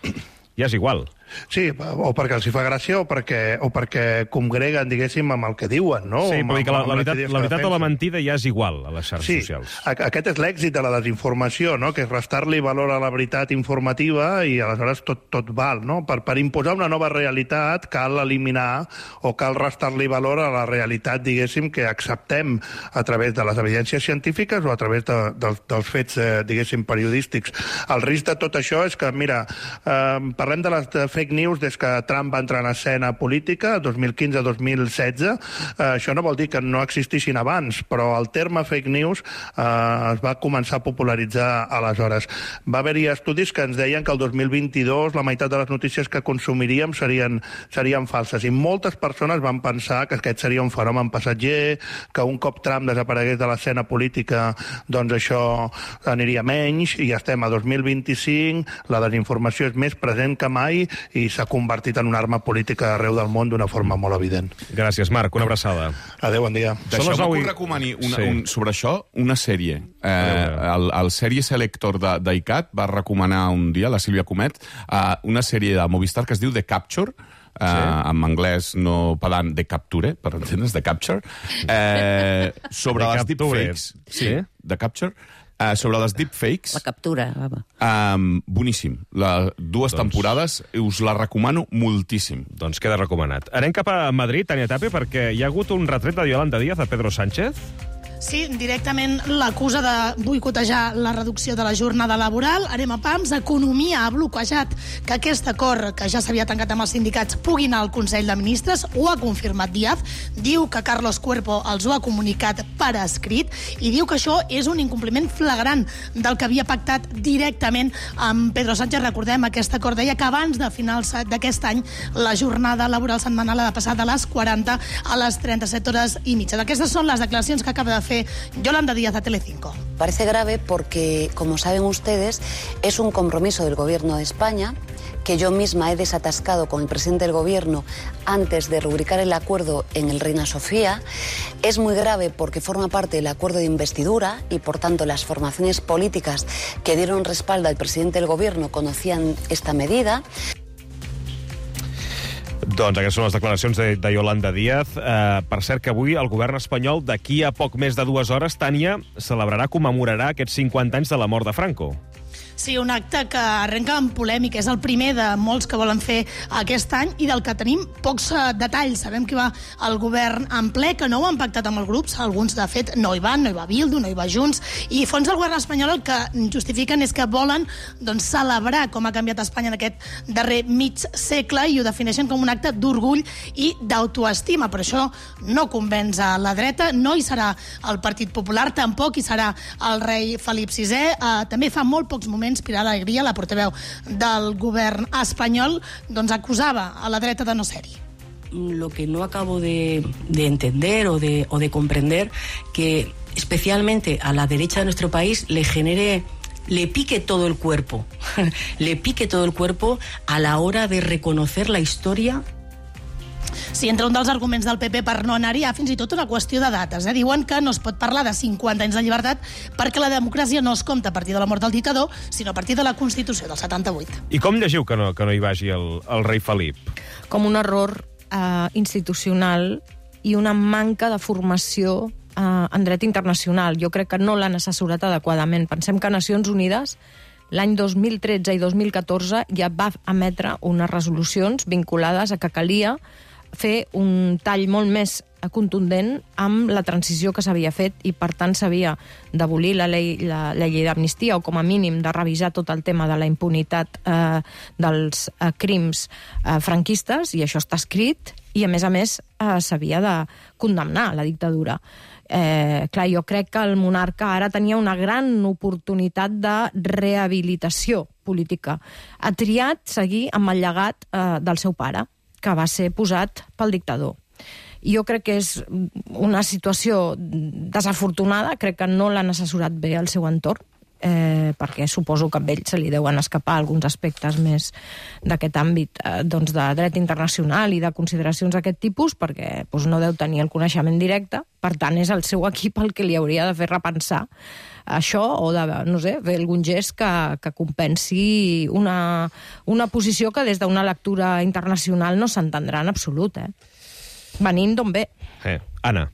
ja és igual. Sí, o perquè els hi fa gràcia o perquè congreguen, diguéssim, amb el que diuen, no? Sí, però la veritat o la mentida ja és igual a les xarxes socials. Sí, aquest és l'èxit de la desinformació, no? Que és restar-li valor a la veritat informativa i aleshores tot val, no? Per imposar una nova realitat cal eliminar o cal restar-li valor a la realitat, diguéssim, que acceptem a través de les evidències científiques o a través dels fets, diguéssim, periodístics. El risc de tot això és que, mira, parlem de les fake news des que Trump va entrar en escena política, 2015-2016. Això no vol dir que no existissin abans, però el terme fake news es va començar a popularitzar aleshores. Va haver-hi estudis que ens deien que el 2022 la meitat de les notícies que consumiríem serien falses, i moltes persones van pensar que aquest seria un fenomen passatger, que un cop Trump desaparegués de l'escena política, doncs això aniria menys, i ja estem a 2025, la desinformació és més present que mai i s'ha convertit en una arma política arreu del món d'una forma molt evident. Gràcies, Marc. Una abraçada. Adéu, bon dia. Deixeu-me que us recomani sobre això una sèrie. El Sèrie Selector d'ICAT va recomanar un dia, la Sílvia Comet, una sèrie de Movistar que es diu The Capture, en anglès no pedant, The Capture, per entendre's, The Capture, sobre les deepfakes. Sí, The Capture. Sobre les deepfakes... La captura. Boníssim. Dues temporades, us la recomano moltíssim. Doncs queda recomanat. Anem cap a Madrid, Tània Tapia, perquè hi ha hagut un retret de Yolanda Díaz a Pedro Sánchez. Sí, directament l'acusa de boicotejar la reducció de la jornada laboral. Anem a pams. Economia ha bloquejat que aquest acord, que ja s'havia tancat amb els sindicats, pugui anar al Consell de Ministres. Ho ha confirmat Díaz. Diu que Carlos Cuerpo els ho ha comunicat per escrit i diu que això és un incompliment flagrant del que havia pactat directament amb Pedro Sánchez. Recordem, aquest acord deia que abans de finals d'aquest any la jornada laboral setmanal ha de passar de les 40 a les 37 hores i mitja. Aquestes són les declaracions que acaba de fer Yolanda Díaz a Telecinco. Parece grave porque, como saben ustedes, es un compromiso del Gobierno de España que yo misma he desatascado con el presidente del Gobierno antes de rubricar el acuerdo en el Reina Sofía. Es muy grave porque forma parte del acuerdo de investidura y, por tanto, las formaciones políticas que dieron respaldo al presidente del Gobierno conocían esta medida. Doncs aquestes són les declaracions de Yolanda Díaz. Per cert, que avui el govern espanyol, d'aquí a poc més de 2 hores, Tània, commemorarà aquests 50 anys de la mort de Franco. Sí, un acte que arrenca amb polèmica. És el primer de molts que volen fer aquest any i del que tenim pocs detalls. Sabem que va el govern en ple, que no ho han pactat amb els grups. Alguns, de fet, no hi van, no hi va Bildu, no hi va Junts. I fons del govern espanyol el que justifiquen és que volen celebrar com ha canviat Espanya en aquest darrer mig segle i ho defineixen com un acte d'orgull i d'autoestima. Per això no convenç a la dreta, no hi serà el Partit Popular, tampoc hi serà el rei Felip VI. També fa molt pocs moments Pilar Alegría, la portaveu del govern espanyol, acusava a la dreta de no ser-hi. Lo que no acabo de entender o de comprender, que especialmente a la derecha de nuestro país le pique todo el cuerpo, le pique todo el cuerpo a la hora de reconocer la historia. Sí, entre un dels arguments del PP per no anar-hi hi ha fins i tot una qüestió de dates. Diuen que no es pot parlar de 50 anys de llibertat perquè la democràcia no es compta a partir de la mort del dictador, sinó a partir de la Constitució del 78. I com llegiu que no hi vagi el rei Felip? Com un error institucional i una manca de formació en dret internacional. Jo crec que no l'han assessorat adequadament. Pensem que Nacions Unides l'any 2013 i 2014 ja va emetre unes resolucions vinculades a que calia fer un tall molt més contundent amb la transició que s'havia fet i, per tant, s'havia d'abolir la llei d'amnistia o, com a mínim, de revisar tot el tema de la impunitat dels crims franquistes, i això està escrit, i, a més, s'havia de condemnar la dictadura. Clar, jo crec que el monarca ara tenia una gran oportunitat de rehabilitació política. Ha triat seguir amb el llegat del seu pare, que va ser posat pel dictador. Jo crec que és una situació desafortunada, crec que no l'han assessorat bé al seu entorn, perquè suposo que a ell se li deuen escapar alguns aspectes més d'aquest àmbit de dret internacional i de consideracions d'aquest tipus, perquè no deu tenir el coneixement directe. Per tant, és el seu equip el que li hauria de fer repensar això o de, no sé, fer algun gest que compensi una posició que des d'una lectura internacional no s'entendrà en absolut, venint d'on ve. Anna.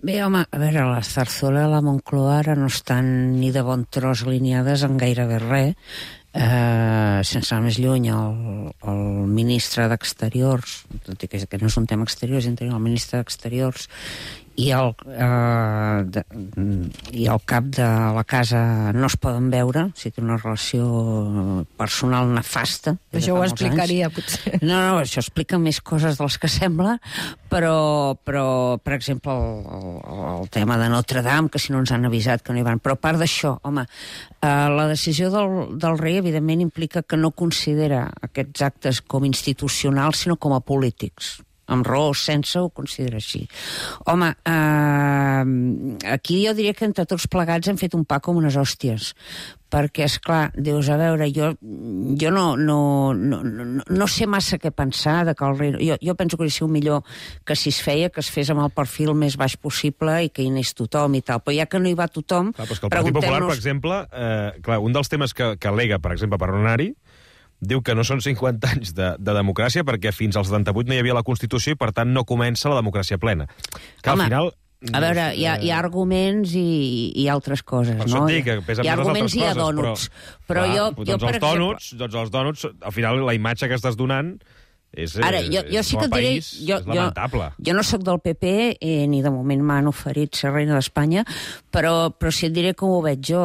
Bé, home, a veure, la Zarzuela i la Moncloa ara no estan ni de bon tros alineades en gairebé res. Sense anar més lluny, el ministre d'Exteriors, tot i que no és un tema exterior, és interior, el ministre d'Exteriors i el cap de la casa no es poden veure, o sigui, té una relació personal nefasta. Això ho explicaria, potser. No, això explica més coses de les que sembla, però per exemple, el tema de Notre Dame, que si no ens han avisat que no hi van. Però a part d'això, home, la decisió del rei, evidentment, implica que no considera aquests actes com institucionals, sinó com a polítics. Amb raó o sense ho considera així. Home, aquí jo diria que entre tots plegats hem fet un pa com unes hòsties, perquè, esclar, dius, a veure, jo no sé massa què pensar de que el rei... Jo penso que hauria sigut millor que si es feia, que es fes amb el perfil més baix possible i que hi anés tothom i tal, però ja que no hi va tothom... Clar, però és que el Partit Popular, per exemple, un dels temes que al·lega, per exemple, per no anar-hi, diu que no són 50 anys de democràcia perquè fins al 78 no hi havia la Constitució i, per tant, no comença la democràcia plena. Que al final A veure, hi ha arguments i altres coses, Per no? això et dic, que pesen hi ha moltes arguments altres i hi ha coses, dònuts. però jo, doncs per els dònuts, al final, la imatge que estàs donant és, Ara, jo sí que et diré... és lamentable. Jo no sóc del PP, ni de moment m'han oferit ser reina d'Espanya, però sí et diré com ho veig jo,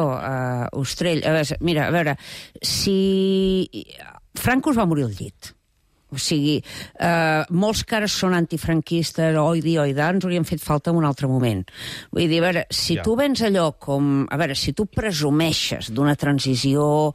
Ostrell. Mira, a veure, si Franco es va morir al llit. O sigui, molts que ara són antifranquistes, oi da, ens haurien fet falta en un altre moment. Vull dir, a veure, si tu vens allò com... A veure, si tu presumeixes d'una transició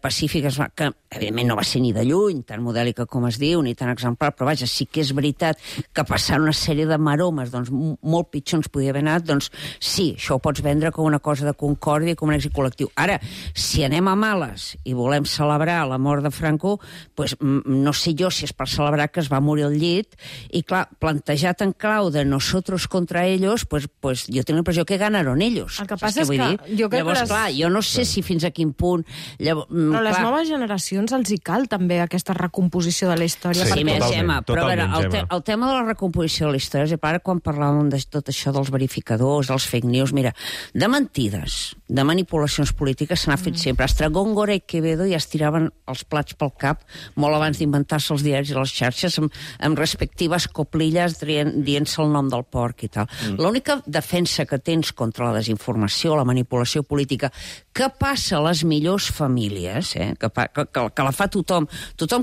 pacífica, que evidentment no va ser ni de lluny, tan modèlica com es diu, ni tan exemplar, però vaja, sí que és veritat que passant una sèrie de maromes, doncs molt pitjor ens podia haver anat, doncs sí, això ho pots vendre com una cosa de concòrdia i com un èxit col·lectiu. Ara, si anem a males i volem celebrar la mort de Franco, doncs no sé jo si és per celebrar que es va morir al llit, i clar, plantejat en clau de nosotros contra ellos, pues jo tinc la impressió que ganaron ells. El que passa és que jo crec llavors, clar, jo no sé si fins a quin punt... Però les noves generacions els hi cal també aquesta recomposició de la història. Sí, més, Gemma, però a veure, el tema de la recomposició de la història, és ara quan parlàvem de tot això dels verificadors, dels fake news, mira, de mentides, de manipulacions polítiques se n'ha fet sempre. Estragón, Góra i Quevedo ja es tiraven els plats pel cap molt abans d'inventar-se els diaris i les xarxes amb respectives coplilles dient-se el nom del porc i tal. L'única defensa que tens contra la desinformació, la manipulació política, que passa a les millors famílies, que la fa tothom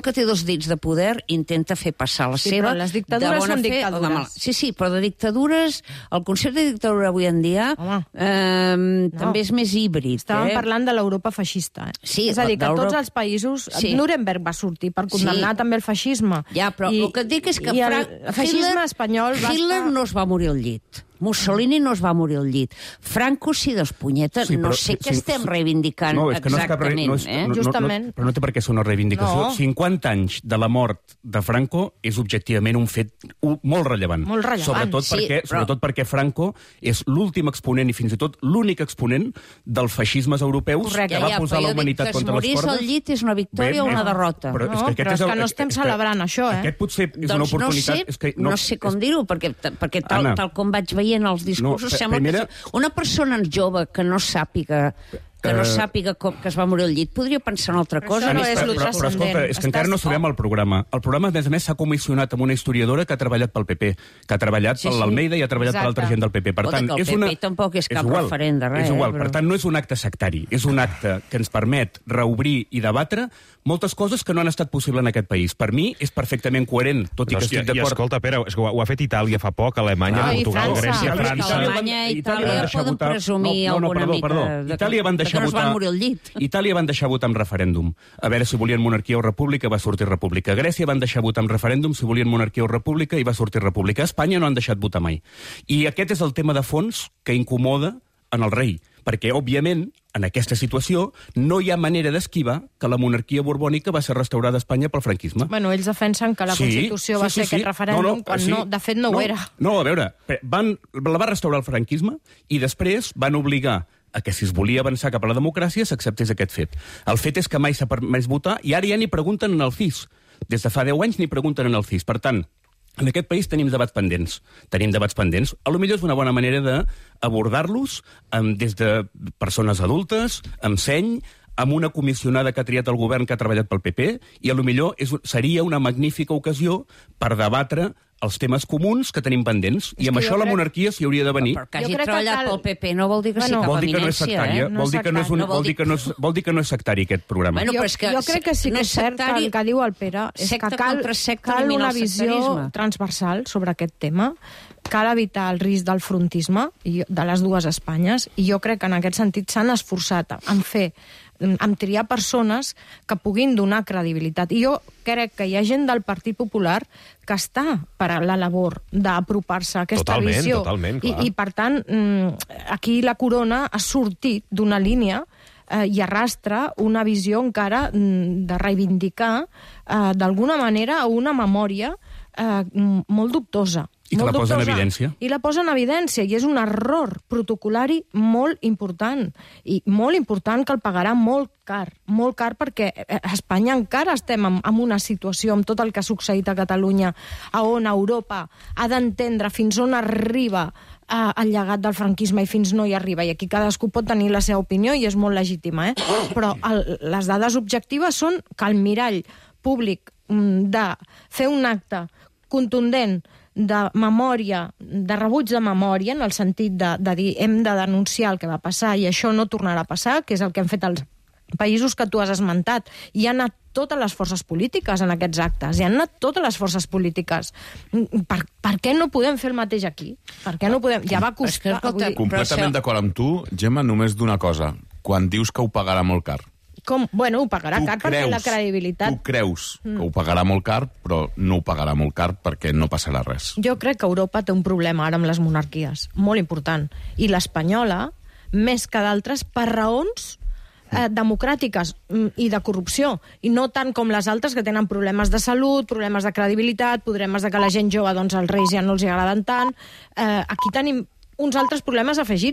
que té dos dits de poder intenta fer passar la seva... Però les dictadures són dictadures. Sí, però de dictadures, el concepte de dictadura avui en dia també és més híbrid. Estàvem parlant de l'Europa feixista. Sí, és a dir, que tots els països... Nuremberg va sortir per condemnar també el feixisme. Ja, però el que et dic és que el feixisme espanyol va Hitler no es va morir al llit. Mussolini no es va morir al llit. Franco, sí, doncs, punyeta, no sé què estem reivindicant exactament. Justament. Però no té per què ser una reivindicació. 50 anys de la mort de Franco és objectivament un fet molt rellevant. Molt rellevant. Sobretot perquè Franco és l'últim exponent i fins i tot l'únic exponent dels feixismes europeus que va posar la humanitat contra les cordes. Que es morís al llit és una victòria o una derrota. Però és que no estem celebrant això, Aquest potser és una oportunitat... No sé com dir-ho, perquè tal com vaig veient els discursos, sembla que una persona jove que no sàpiga que es va morir al llit, podria pensar en altra cosa. Això no és lo transcendent. Però escolta, és que encara no sabem el programa. El programa, a més, s'ha comissionat amb una historiadora que ha treballat pel PP, que ha treballat per l'Almeida i ha treballat per altra gent del PP. Per tant, el PP tampoc és cap referent de res. És igual, per tant, no és un acte sectari, és un acte que ens permet reobrir i debatre moltes coses que no han estat possibles en aquest país. Per mi és perfectament coherent, tot i que estic d'acord. I escolta, Pere, és que ho ha fet Itàlia fa poc, Alemanya, Portugal, Grècia, França... Alemanya i Itàlia poden presumir alguna mica... Itàlia van deixar no es van morir al llit. Itàlia van deixar votar amb referèndum. A veure si volien monarquia o república, va sortir república. Grècia van deixar votar amb referèndum si volien monarquia o república i va sortir república. Espanya no han deixat votar mai. I aquest és el tema de fons que incomoda en el rei. Perquè, òbviament, en aquesta situació, no hi ha manera d'esquivar que la monarquia borbònica va ser restaurada a Espanya pel franquisme. Bueno, ells defensen que la Constitució va ser aquest referèndum, quan de fet no ho era. No, a veure, la va restaurar el franquisme i després van obligar a que si es volia avançar cap a la democràcia s'acceptés aquest fet. El fet és que mai s'ha permès votar i ara ja ni pregunten en el CIS. Des de fa 10 anys ni pregunten en el CIS. Per tant, en aquest país tenim debats pendents. A lo millor és una bona manera d'abordar-los des de persones adultes, amb seny, amb una comissionada que ha triat el govern que ha treballat pel PP, i a lo millor seria una magnífica ocasió per debatre els temes comuns que tenim pendents. I amb això la monarquia s'hi hauria de venir. Però que hagi treballat pel PP no vol dir que sigui cap eminència, Vol dir que no és sectari aquest programa. Jo crec que sí que és cert que el que diu el Pere és que cal una visió transversal sobre aquest tema, cal evitar el risc del frontisme de les dues Espanyes, i jo crec que en aquest sentit s'han esforçat en triar persones que puguin donar credibilitat. I jo crec que hi ha gent del Partit Popular que està per a la labor d'apropar-se a aquesta visió. Totalment, clar. I per tant, aquí la corona ha sortit d'una línia i arrastra una visió encara de reivindicar d'alguna manera una memòria molt dubtosa. I que molt la posa en dubtosa. evidència. I la posa en evidència, i és un error protocolari molt important. I molt important, que el pagarà molt car, perquè a Espanya encara estem en una situació, amb tot el que ha succeït a Catalunya, on Europa ha d'entendre fins on arriba el llegat del franquisme i fins no hi arriba. I aquí cadascú pot tenir la seva opinió i és molt legítima, però les dades objectives són que el mirall públic de fer un acte contundent de memòria, de rebuig de memòria, en el sentit de dir hem de denunciar el que va passar i això no tornarà a passar, que és el que han fet els països que tu has esmentat. Hi han anat totes les forces polítiques en aquests actes, hi han anat totes les forces polítiques. Per què no podem fer el mateix aquí? Per què no podem? Ja va costar... Completament d'acord amb tu, Gemma, només d'una cosa. Quan dius que ho pagarà molt car. Bueno, ho pagarà car perquè la credibilitat... Tu creus que ho pagarà molt car, però no ho pagarà molt car perquè no passarà res. Jo crec que Europa té un problema ara amb les monarquies, molt important. I l'espanyola, més que d'altres, per raons democràtiques i de corrupció, i no tant com les altres que tenen problemes de salut, problemes de credibilitat, problemes de que la gent jove, doncs els reis ja no els agraden tant. Aquí tenim uns altres problemes afegits.